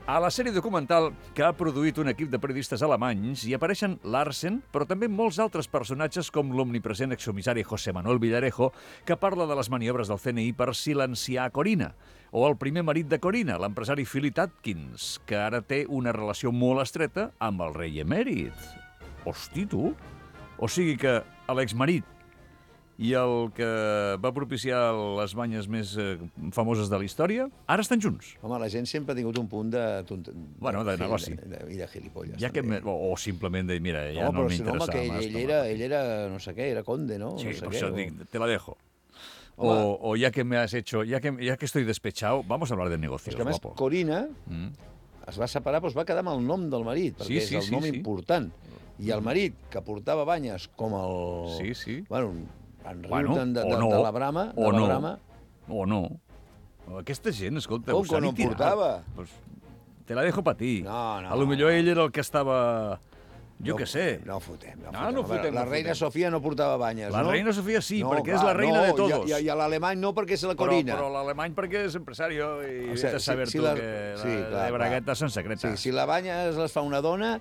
A la sèrie documental que ha produït un equip de periodistes alemanys hi apareixen Larsen, però també molts altres personatges com l'omnipresent excomissari José Manuel Villarejo, que parla de les maniobres del CNI per silenciar Corina, o el primer marit de Corina, l'empresari Philip Atkins, que ara té una relació molt estreta amb el rei emèrit. Hosti, tu! O sigui que l'exmarit i el que va propiciar les banyes més famoses de la història, ara estan junts. Home, la gent sempre ha tingut un punt de negoci. I de gilipolles. O simplement de, mira, ja no m'interessa más. Ell era, no sé què, era conde, ¿no? Sí, no sé por què, eso te la dejo. O ya que me has hecho, ya que estoy despechado, vamos a hablar de negocios, és que, a més, guapo. Corina es va separar, però es va quedar amb el nom del marit, perquè és el nom important. I el marit, que portava banyes com el... Bueno, en riuten de la brama... O no. Aquesta gent, escolta... Com que no en portava? Te la dejo pa ti. No. A lo millor ell era el que estava... Jo què sé. No fotem. La reina Sofia no portava banyes, no? La reina Sofia sí, perquè és la reina de todos. I l'alemany no, perquè és la Corina. Però l'alemany perquè és empresario i vés a saber tu que de braguetes són secretes. Sí, si la banya les fa una dona,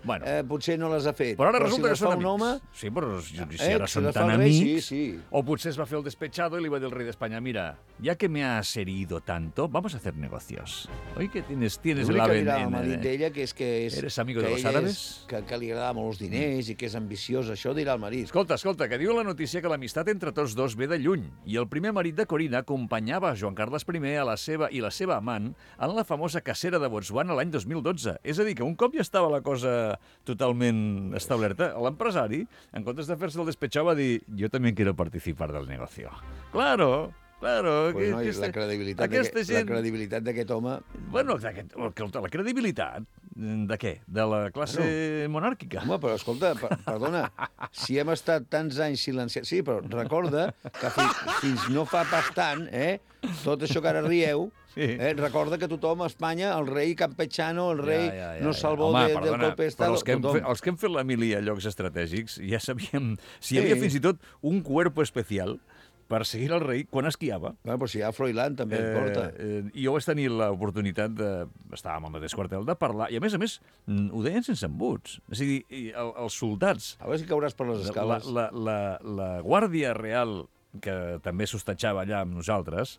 potser no les ha fet. Però ara resulta que són amics. Sí, però si ara són tan amics... O potser es va fer el despechado i li va dir al rei d'Espanya, mira, ya que me has herido tanto, vamos a hacer negocios. Oi que tienes el ave en... El marit d'ella, que és... Eres amigo de los árabes? Que li agrada molt els diners i que és ambiciós, això dirà el marit. Escolta, que diu la notícia que l'amistat entre tots dos ve de lluny i el primer marit de Corina acompanyava Joan Carles I a la seva amant en la famosa cacera de Botswana l'any 2012. És a dir, que un cop ja estava la cosa totalment establerta, l'empresari, en comptes de fer-se el despechado, va dir jo també quiero participar del negocio. Claro, Claro, Pues no, la credibilitat d'aquest home... Bueno, la credibilitat de què? De la classe monàrquica? Home, però escolta, perdona, si hem estat tants anys silenciats... Sí, però recorda que fins no fa pas tant, tot això que ara rieu, recorda que tothom a Espanya, el rei campechano, el rei no salvó del golpe d'Estat... Els que hem fet la mili a llocs estratègics ja sabíem si hi havia fins i tot un cuerpo especial per seguir el rei quan esquiava. Bueno, però si hi ha Froilán també en porta. I jo vaig tenir l'oportunitat estàvem al mateix quartel, de parlar, i a més, ho deien sense embuts. És a dir, els soldats... A veure si cauràs per les escales. La Guàrdia Real, que també s'hostatjava allà amb nosaltres,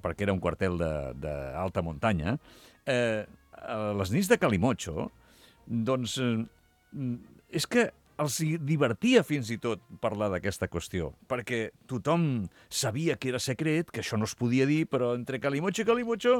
perquè era un quartel d'alta muntanya, a les nits de Calimocho, doncs, és que els divertia fins i tot parlar d'aquesta qüestió, perquè tothom sabia que era secret, que això no es podia dir, però entre Calimocho i Calimocho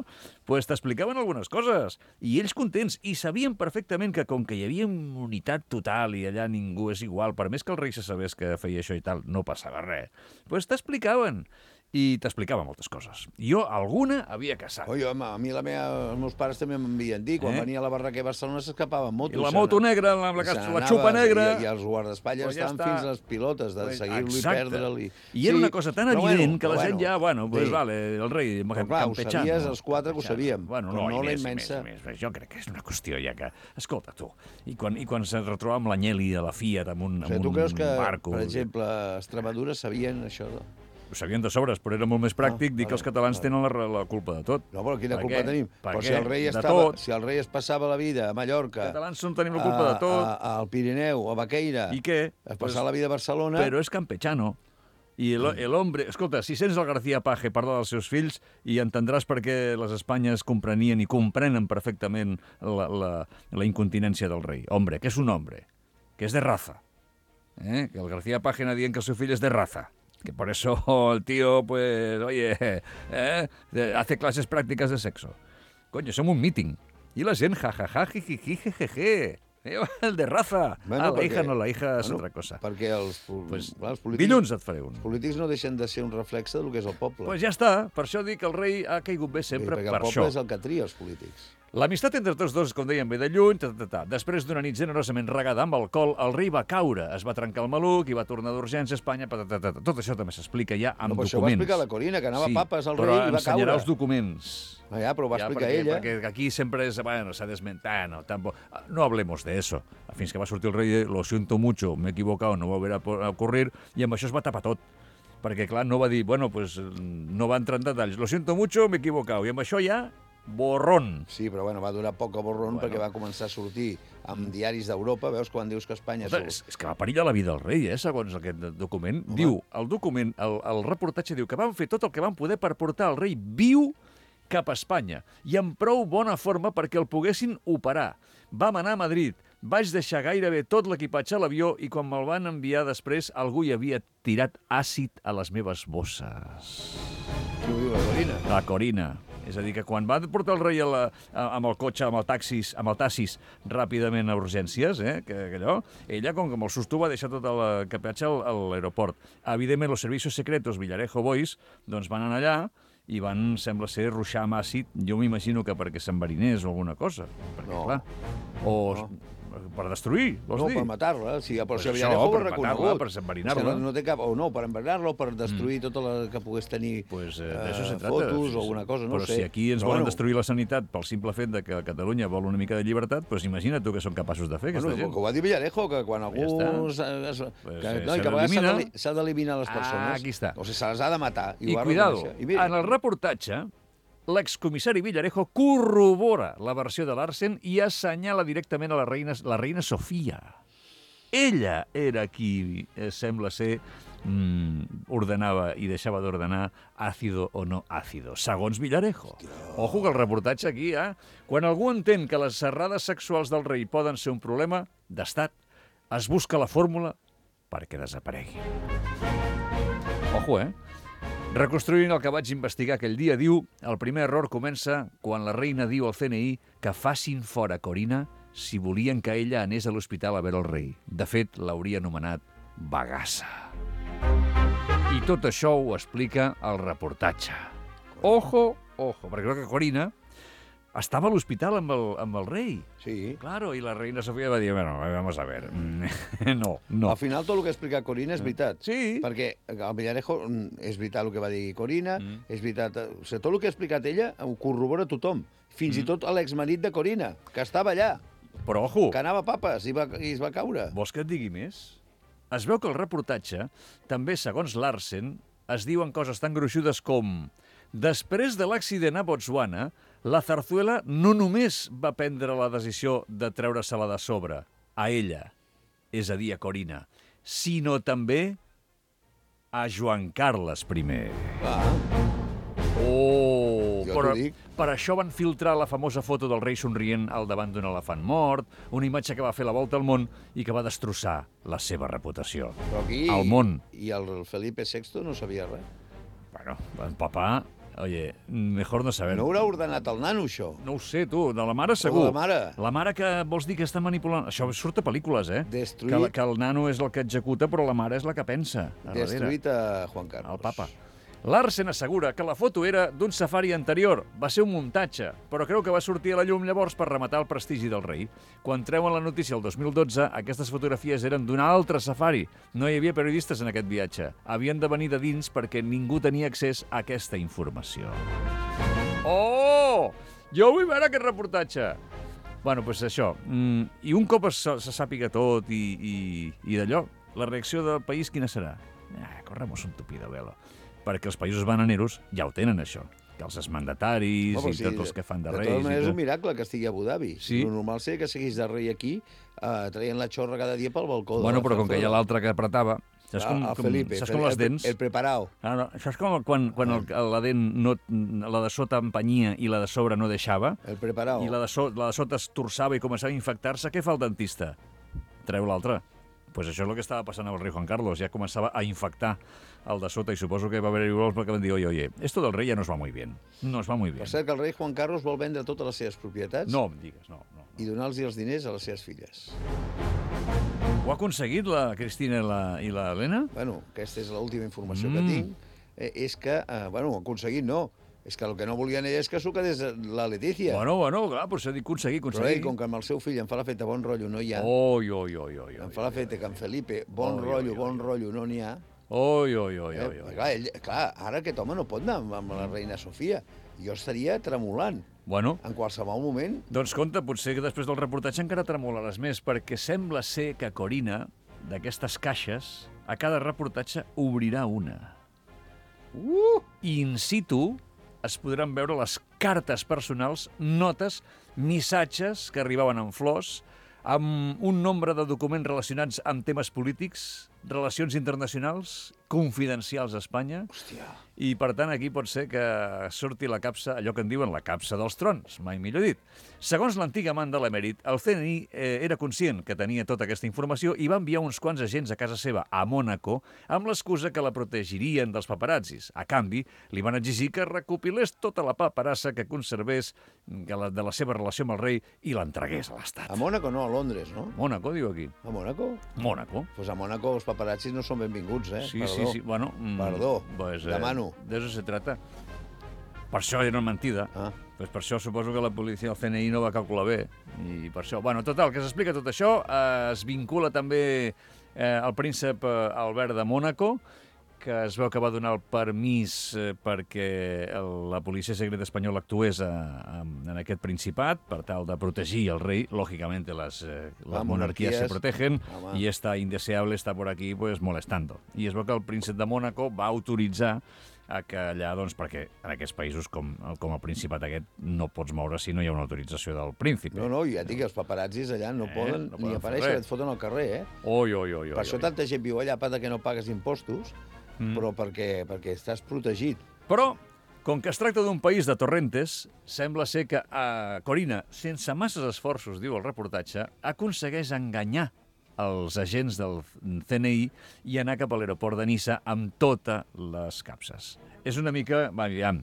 pues, t'explicaven algunes coses, i ells contents, i sabien perfectament que com que hi havia unitat total i allà ningú és igual, per més que el rei se sabés que feia això i tal, no passava res, pues t'explicaven. I t'explicava moltes coses. Jo alguna havia caçat. Oi, home, a mi els meus pares també m'envien dir, quan venia a la Barraquer a Barcelona s'escapaven motos. I la moto negra, la xupa negra... I els guardaespatlles estaven fins a les pilotes, de seguir-lo i perdre'l. I era una cosa tan evident que la gent ja, pues vale, el rei campechano. Ho sabies, els quatre que ho sabíem. Bueno, no, i més. Jo crec que és una qüestió ja que... Escolta, tu, i quan se retroba amb l'Anyeli a la Fiat, amb un barco... Tu creus que, per exemple, a Extremadura sabien això? Ho sabien de sobres, però era molt més pràctic dir que els catalans tenen la culpa de tot. No, però quina culpa tenim? Però si el rei es passava la vida a Mallorca... Els catalans tenim la culpa de tot. Al Pirineu, a Baqueira... I què? Es passava la vida a Barcelona... Però és campechano. I l'hombre... Escolta, si sents el García Page parlar dels seus fills i entendràs per què les Espanyes comprenien i comprenen perfectament la incontinència del rei. Hombre, que és un hombre, que és de raza. Que el García Page anava dient que el seu fill és de raza. Que por eso el tío, pues, oye, hace clases prácticas de sexo. Coño, som un meeting. I la gent, jajaja, jijiji, jejeje. El de raza. Bueno, la hija no, la hija és altra cosa. Perquè els polítics... Dilluns et faré un. Els polítics no deixen de ser un reflexe del que és el poble. Pues ja està. Per això dic que el rei ha caigut bé sempre per això. Perquè el poble és el que tria els polítics. L'amistat entre tots dos, com dèiem, ve de lluny, Després d'una nit generosament regada amb alcohol, el rei va caure, es va trencar el maluc i va tornar d'urgència a Espanya, Tot això també s'explica ja amb documents. Això ho va explicar la Corina, que anava papes al rei i va caure. Però ensenyarà els documents. Ja, però ho va explicar ella. Perquè aquí sempre és, bueno, s'ha desmentat, no hablemos de eso. Fins que va sortir el rei, lo siento mucho, me he equivocado, no volverá a ocurrir, i amb això es va tapar tot. Perquè, clar, no va dir, bueno, pues no va entrar en detalls, lo siento mucho, me he equivocado, i amb això ja... borrón. Sí, però bueno, va durar poc a borrón perquè va començar a sortir amb diaris d'Europa, veus, quan dius que Espanya... És que va perillar la vida del rei, segons aquest document. Diu, el document, el reportatge diu que van fer tot el que van poder per portar el rei viu cap a Espanya i en prou bona forma perquè el poguessin operar. Vam anar a Madrid, vaig deixar gairebé tot l'equipatge a l'avió i quan me'l van enviar després algú hi havia tirat àcid a les meves bosses. Qui ho diu, la Corina? La Corina. És a dir, que quan va portar el rei amb el cotxe, amb el taxis, ràpidament a urgències, ella, com que amb el susto, va deixar tot el capatge a l'aeroport. Evidentment, els servicis secretos Villarejo Boys doncs van anar allà i van, sembla ser, ruixar amb àcid. Jo m'imagino que perquè s'enverinés o alguna cosa. Perquè, clar, per destruir, vols dir? No, per matar-la. Sí, però si Villarejo ho ha reconegut. Per enverinar-la. No té cap... O no, per enverinar-la o per destruir tot el que pogués tenir fotos o alguna cosa, no sé. Però si aquí ens volen destruir la sanitat pel simple fet que Catalunya vol una mica de llibertat, doncs imagina't tu què són capaços de fer, aquesta gent. Que ho va dir Villarejo, que quan algú... Que a vegades s'ha d'eliminar les persones. Aquí està. O sigui, se les ha de matar. I cuidado, en el reportatge, l'excomissari Villarejo corrobora la versió de Larsen i assenyala directament a la reina Sofia. Ella era qui, sembla ser, ordenava i deixava d'ordenar àcido o no àcido, segons Villarejo. Ojo que el reportatge aquí, quan algú entén que les serrades sexuals del rei poden ser un problema d'estat, es busca la fórmula perquè desaparegui. Ojo, Reconstruint el que vaig investigar aquell dia, diu, el primer error comença quan la reina diu al CNI que facin fora Corina si volien que ella anés a l'hospital a veure el rei. De fet, l'hauria anomenat bagassa. I I tot això ho explica el reportatge. Ojo, perquè crec que Corina estava a l'hospital amb el rei. Sí. Claro, i la reina Sofia va dir, bueno, vamos a ver, no. Al final tot el que ha explicat Corina és veritat. Sí. Perquè al Villarejo és veritat el que va dir Corina, és veritat... O sigui, tot el que ha explicat ella ho corrobora tothom. Fins i tot l'exmarit de Corina, que estava allà, Però, ojo, que anava a papes i es va caure. vols que et digui més? Es veu que el reportatge, també segons Larsen, es diuen coses tan gruixudes com: després de l'accident a Botswana, la Zarzuela no només va prendre la decisió de treure-se-la de sobre, a ella, és a dir, a Corina, sinó també a Joan Carles I. Oh, Jo però t'ho dic. per això van filtrar la famosa foto del rei somrient al davant d'un elefant mort, una imatge que va fer la volta al món i que va destrossar la seva reputació. Però aquí... Al món. I el Felipe VI no sabia res. Bueno, el papà, oye, mejor no saber. No haurà ordenat el nano, això. No ho sé, tu, de la mare segur. de la mare. La mare que vols dir que està manipulant... Això surt a pel·lícules, eh? Destruït. Que el nano és el que executa, però la mare és la que pensa. A darrere. Destruït a Juan Carlos. El papa. Larsen assegura que la foto era d'un safari anterior, va ser un muntatge, però creu que va sortir a la llum llavors per rematar el prestigi del rei. Quan treuen la notícia el 2012, aquestes fotografies eren d'un altre safari. No hi havia periodistes en aquest viatge. Havien de venir de dins perquè ningú tenia accés a aquesta informació. Oh! Jo vull veure aquest reportatge! Bueno, doncs això. I un cop se sàpiga tot i d'allò, la reacció del país quina serà? Corremos un tupido velo. Perquè els països bananeros ja ho tenen, això. Que els exmandataris i tots els que fan de reis... De totes maneres, és un miracle que estigui a Abu Dhabi. Sí. El normal seria que seguís de rei aquí, traient la xorra cada dia pel balcó. Bueno, però com que hi ha l'altre que apretava... Saps Felipe, saps com les dents? El preparao. No, saps com quan la dent no, la de sota empenyia i la de sobre no deixava? El preparao. I la de sota es torçava i començava a infectar-se, què fa el dentista? Treu l'altre. Pues això és el que estava passant amb el rei Juan Carlos. Ja començava a infectar el de sota i suposo que va haver-hi vols perquè van dir oye, esto del rei ja no es va muy bien. No es va muy bien. Per cert que el rei Juan Carlos vol vendre totes les seves propietats No em digues, no. i donar-los els diners a les seves filles. Ho ha aconseguit la Cristina i l'Helena? Bueno, aquesta és l'última informació que tinc. És que, bueno, aconseguit no. És que el que no volien ella és que s'ho quedés la Letícia. Bueno, clar, però s'ha dit aconseguir. Però ell, com que amb el seu fill em fa la feta bon rotllo no hi ha, em fa la feta que amb Felipe bon rotllo no n'hi ha. Clar, ara aquest home no pot anar amb la reina Sofia. Jo estaria tremolant. Bueno. En qualsevol moment. Doncs compte, potser que després del reportatge encara tremolaràs més, perquè sembla ser que Corina, d'aquestes caixes, a cada reportatge obrirà una. In situ es podran veure les cartes personals, notes, missatges que arribaven en flors, amb un nombre de documents relacionats amb temes polítics, relacions internacionals, confidencials a Espanya. Hòstia. I, per tant, aquí pot ser que surti la capsa, allò que en diuen la capsa dels trons, mai millor dit. Segons l'antic amant de l'emèrit, el CNI era conscient que tenia tota aquesta informació i va enviar uns quants agents a casa seva, a Mònaco, amb l'excusa que la protegirien dels paparazzis. A canvi, li van exigir que recopilés tota la paperassa que conservés de la seva relació amb el rei i l'entregués a l'Estat. A Mònaco no, a Londres, no? Mònaco, diu aquí. A Mònaco? Mònaco. Pues a Mònaco els paparazzis no són benvinguts, eh? Sí. Bueno, Perdó, pues, demano. De eso se trata. Per això era una mentida. Pues per això suposo que la policia del CNI no va calcular bé. I per això... Bueno, total, que s'explica tot això. Es vincula també el príncep Albert de Mònaco, que es veu que va donar el permís perquè la policia secreta espanyola actués en aquest principat per tal de protegir el rei. Lògicament, las monarquías se protegen y esta indeseable está por aquí pues molestando. I es veu que el príncep de Mònaco va autoritzar que allà, doncs, perquè en aquests països com el Principat aquest no pots moure si no hi ha una autorització del príncipe. No, ja dic, els paparazzis allà no poden ni aparèixer, et foten al carrer, eh? Per això tanta gent viu allà, que no pagues impostos, però perquè estàs protegit. Però, com que es tracta d'un país de torrentes, sembla ser que Corina, sense masses esforços, diu el reportatge, aconsegueix enganyar els agents del CNI i anar cap a l'aeroport de Niça amb totes les capses. És una mica, aviam,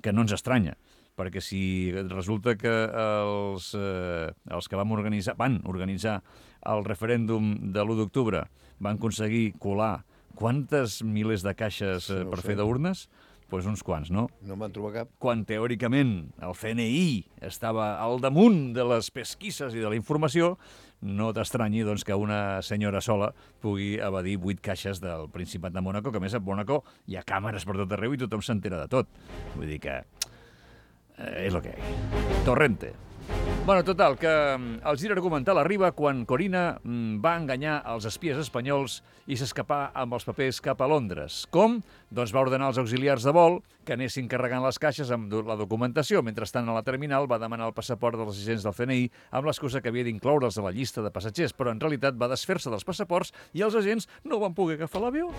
que no ens estranya, perquè si resulta que els que van organitzar el referèndum de l'1 d'octubre van aconseguir colar quantes milers de caixes per fer d'urnes? Doncs uns quants, no? No en van trobar cap. Quan teòricament el CNI estava al damunt de les pesquisses i de la informació, no t'estranyi doncs, que una senyora sola pugui evadir 8 caixes del Principat de Mònaco, que a més a Mònaco hi ha càmeres per tot arreu i tothom s'entera de tot. Vull dir que és el que hi ha. Torrente. Bueno, total, que el gir argumental arriba quan Corina va enganyar els espies espanyols i s'escapà amb els papers cap a Londres. Com? Doncs va ordenar als auxiliars de vol que anessin carregant les caixes amb la documentació. Mentrestant, a la terminal va demanar el passaport dels agents del CNI amb l'excusa que havia d'incloure'ls a la llista de passatgers, però en realitat va desfer-se dels passaports i els agents no van poder agafar l'avió.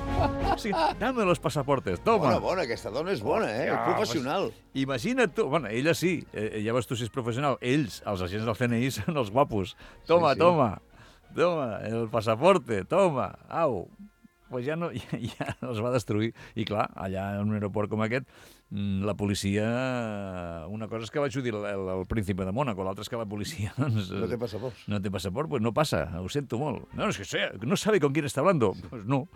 Sí, dame los pasaportes, toma. Bona, aquesta dona és bona, és professional. Imagina't tu, bueno, ella sí, ja veus tu si és professional, ells, els agents del CNI, són els guapos. Toma, toma, el pasaporte, toma, au. Pues ja els va destruir. I clar, allà en un aeroport com aquest, la policia... Una cosa és que vaig dir el príncipe de Mònaco, l'altra és que la policia... Doncs, no té passaport. No té passaport, pues no passa, ho sento molt. No, és que no sabe con quién está hablando. Pues no,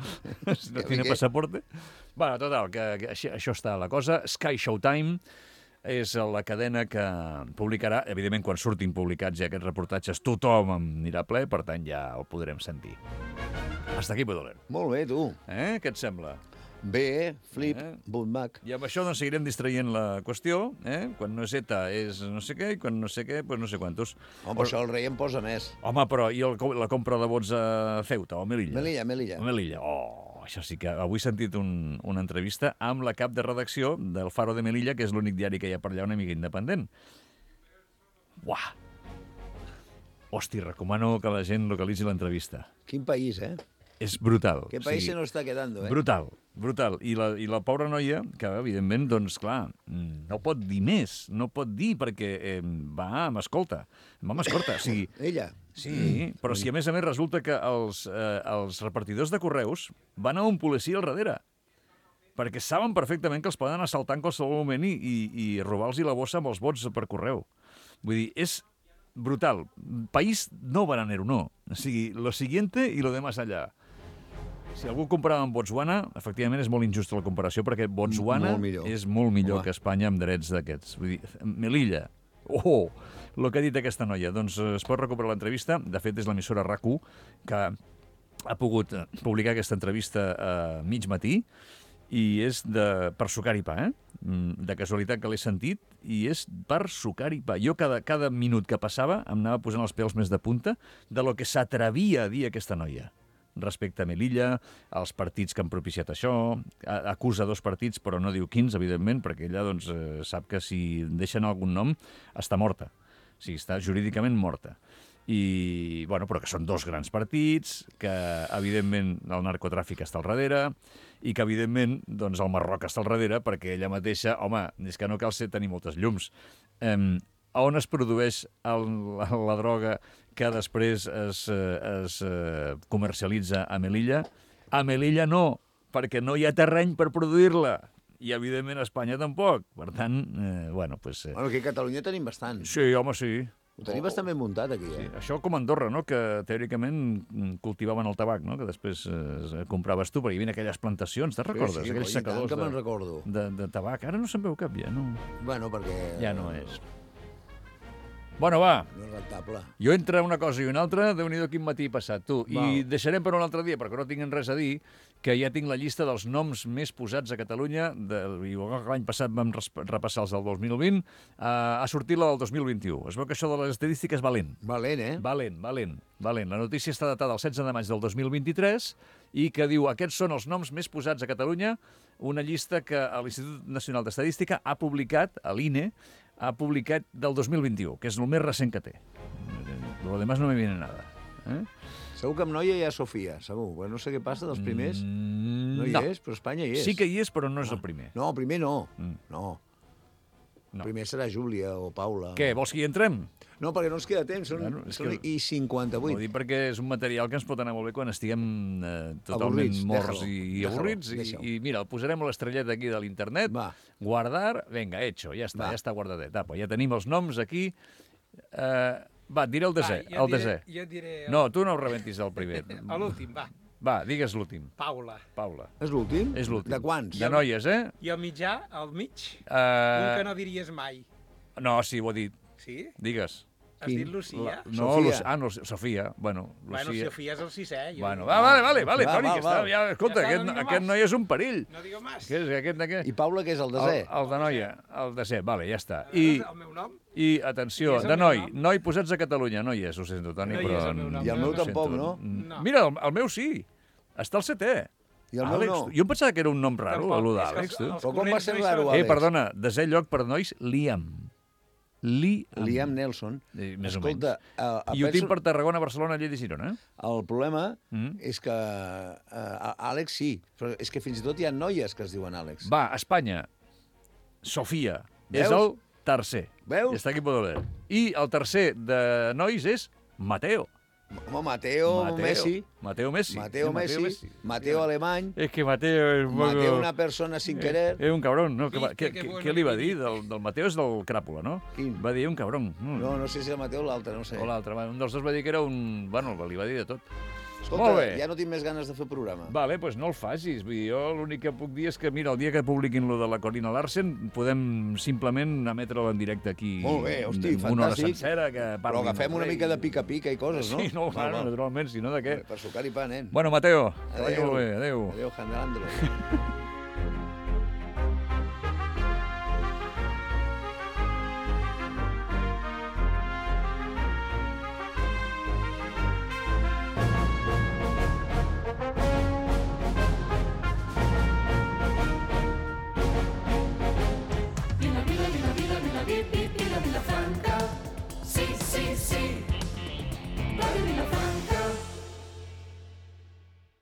no tiene pasaporte. Bueno, total, que això està la cosa. Sky Showtime és la cadena que publicarà, evidentment, quan surtin publicats ja aquests reportatges, tothom anirà ple, per tant, ja el podrem sentir. Hasta aquí, Podoler. Molt bé, tu. Què et sembla? Bé, flip, bootback. I amb això doncs, seguirem distraient la qüestió. Quan no és ETA és no sé què, i quan no sé què, doncs no sé quantos. Home, però això el rei em posa més. Home, però i la compra de vots a Ceuta o a Melilla? Melilla. Això sí que avui he sentit una entrevista amb la cap de redacció del Faro de Melilla, que és l'únic diari que hi ha per allà, una mica independent. Uah! Hosti, recomano que la gent localitzi l'entrevista. Quin país, És brutal. Qué país se nos está quedando, Brutal. I la pobra noia, que evidentment, doncs clar, no pot dir més, no pot dir perquè va amb escolta. O sigui, ella? Sí, però si a més resulta que els repartidors de correus van a un policia al darrere, perquè saben perfectament que els poden assaltar en qualsevol moment i robar-los la bossa amb els vots per correu. Vull dir, és brutal. País no bananero, no. O sigui, lo siguiente y lo demás allá. Si algú comparava amb Botswana, efectivament és molt injusta la comparació, perquè Botswana és molt millor que Espanya amb drets d'aquests. Vull dir, Melilla, el que ha dit aquesta noia. Doncs es pot recuperar l'entrevista. De fet, és l'emissora RAC1 que ha pogut publicar aquesta entrevista a mig matí i és per sucar i pa, de casualitat que l'he sentit, i és per sucar i pa. Jo cada minut que passava em anava posant els pèls més de punta de lo que s'atrevia a dir aquesta noia respecte a Melilla, als partits que han propiciat això, acusa 2 partits, però no diu quins, evidentment, perquè ella doncs, sap que si deixen algun nom està morta. O sigui, està jurídicament morta. I, bueno, però que són 2 grans partits, que, evidentment, el narcotràfic està al darrere, i que, evidentment, doncs, el Marroc està al darrere, perquè ella mateixa, home, és que no cal tenir moltes llums. A on es produeix la droga que després es comercialitza a Melilla? A Melilla no, perquè no hi ha terreny per produir-la. I, evidentment, a Espanya tampoc. Per tant, bueno, doncs... Bueno, aquí a Catalunya tenim bastant. Sí, home, sí. Ho tenim bastant ben muntat, aquí, Sí, això com a Andorra, no?, que teòricament cultivaven el tabac, no?, que després compraves tu, perquè hi havia aquelles plantacions, te'n recordes? Sí, aquells secadors que me'n recordo. De tabac. Ara no se'n veu cap, ja, no? Bueno, perquè... Ja no és. Bueno, va. No és rentable. Jo entre una cosa i una altra, Déu-n'hi-do quin matí he passat, tu. Val. I deixarem per un altre dia, perquè no tinguin res a dir, que ja tinc la llista dels noms més posats a Catalunya, igual que l'any passat vam repassar els del 2020, ha sortit la del 2021. Es veu que això de les estadístiques va lent. Valent, Valent. La notícia està datada el 16 de maig del 2023 i que diu aquests són els noms més posats a Catalunya, una llista que l'Institut Nacional d'Estadística ha publicat, a l'INE, ha publicat del 2021, que és el més recent que té. Lo demás no me viene nada. Segur que amb noia hi ha Sofia, segur. Bueno, no sé què passa dels primers. No hi és, però Espanya hi és. Sí que hi és, però no és el primer. No, el primer no. No. El primer serà Júlia o Paula. Què, vols que hi entrem? No, perquè no ens queda temps, són i 58. Ho dic perquè és un material que ens pot anar molt bé quan estiguem totalment morts i avorrits. I mira, el posarem a l'estrellet aquí de l'internet, guardar, venga, hecho, ja està guardadet. Ja tenim els noms aquí. Va, et diré el desè. Jo diré... No, tu no ho rebentis el primer. A l'últim, va. Va, digues l'últim. Paula. Paula. És l'últim? És l'últim. De quants? De noies, eh? I al mitjà, al mig, un que no diries mai. No, sí, ho he dit. Sí? Digues. Has dit Lucía? No, Sofia. no, Sofia. Bueno, Bueno, Lucía. Sofia és el 6è. Jo... Bueno, vale, Va, Toni, que està... va. Ja, escolta, Ja està, no digo aquest más. noi és un perill. No digo más. Què és aquest? I Paula, què és, el desè? El de noia, el de ser, vale, ja està. El meu nom? I atenció, I és el de meu noi, nom? noi posats a Catalunya, no hi és, ho sento, Toni, No hi però... és el meu nom. I el meu ho sento. tampoc, no? No. Mira, el meu sí, està al 7è. I el meu Àlex, no. jo em pensava que era un nom raro, Tampoc, allò és que d'Àlex, tu. els Però com va ser corrents no hi raro, són. Àlex? Perdona, desè lloc per nois, Liam. Liam Nelson. Més Escolta, o menys. I ho tinc per Tarragona, Barcelona, Lleida i Girona. El problema és que Àlex sí, però és que fins i tot hi ha noies que es diuen Àlex. Va, Espanya, Sofia, Veus? és el tercer. Veus? I està aquí poder leer. I el tercer de nois és Mateo. Home, Mateo Messi. Mateo Messi. Mateo Messi. Mateo Alemany. És que Mateo és... Mateo una persona sin querer. És un cabrón, no? Viste, que bueno Què li va que dir? Del Mateo és del Cràpula, no? Quin? Va dir un cabrón. No sé si el Mateo o l'altre, no sé. O l'altre, un dels dos va dir que era un... Bueno, li va dir de tot. Escolta, Molt bé. ja no tinc més ganes de fer programa. Vale, doncs no el facis. Vull dir, jo l'únic que puc dir és que, mira, el dia que publiquin lo de la Corina Larsen, podem simplement emetre-lo en directe aquí. Molt bé, hosti, una hora fantàstic. sencera que Però parlin agafem del una rei. mica de pica-pica i coses, no? Sí, no, Val, val. naturalment, si no de què. Per sucar i pa, nen. Bueno, Mateo, que vagi Adéu. molt bé. Adéu. Adéu, Jandrandro.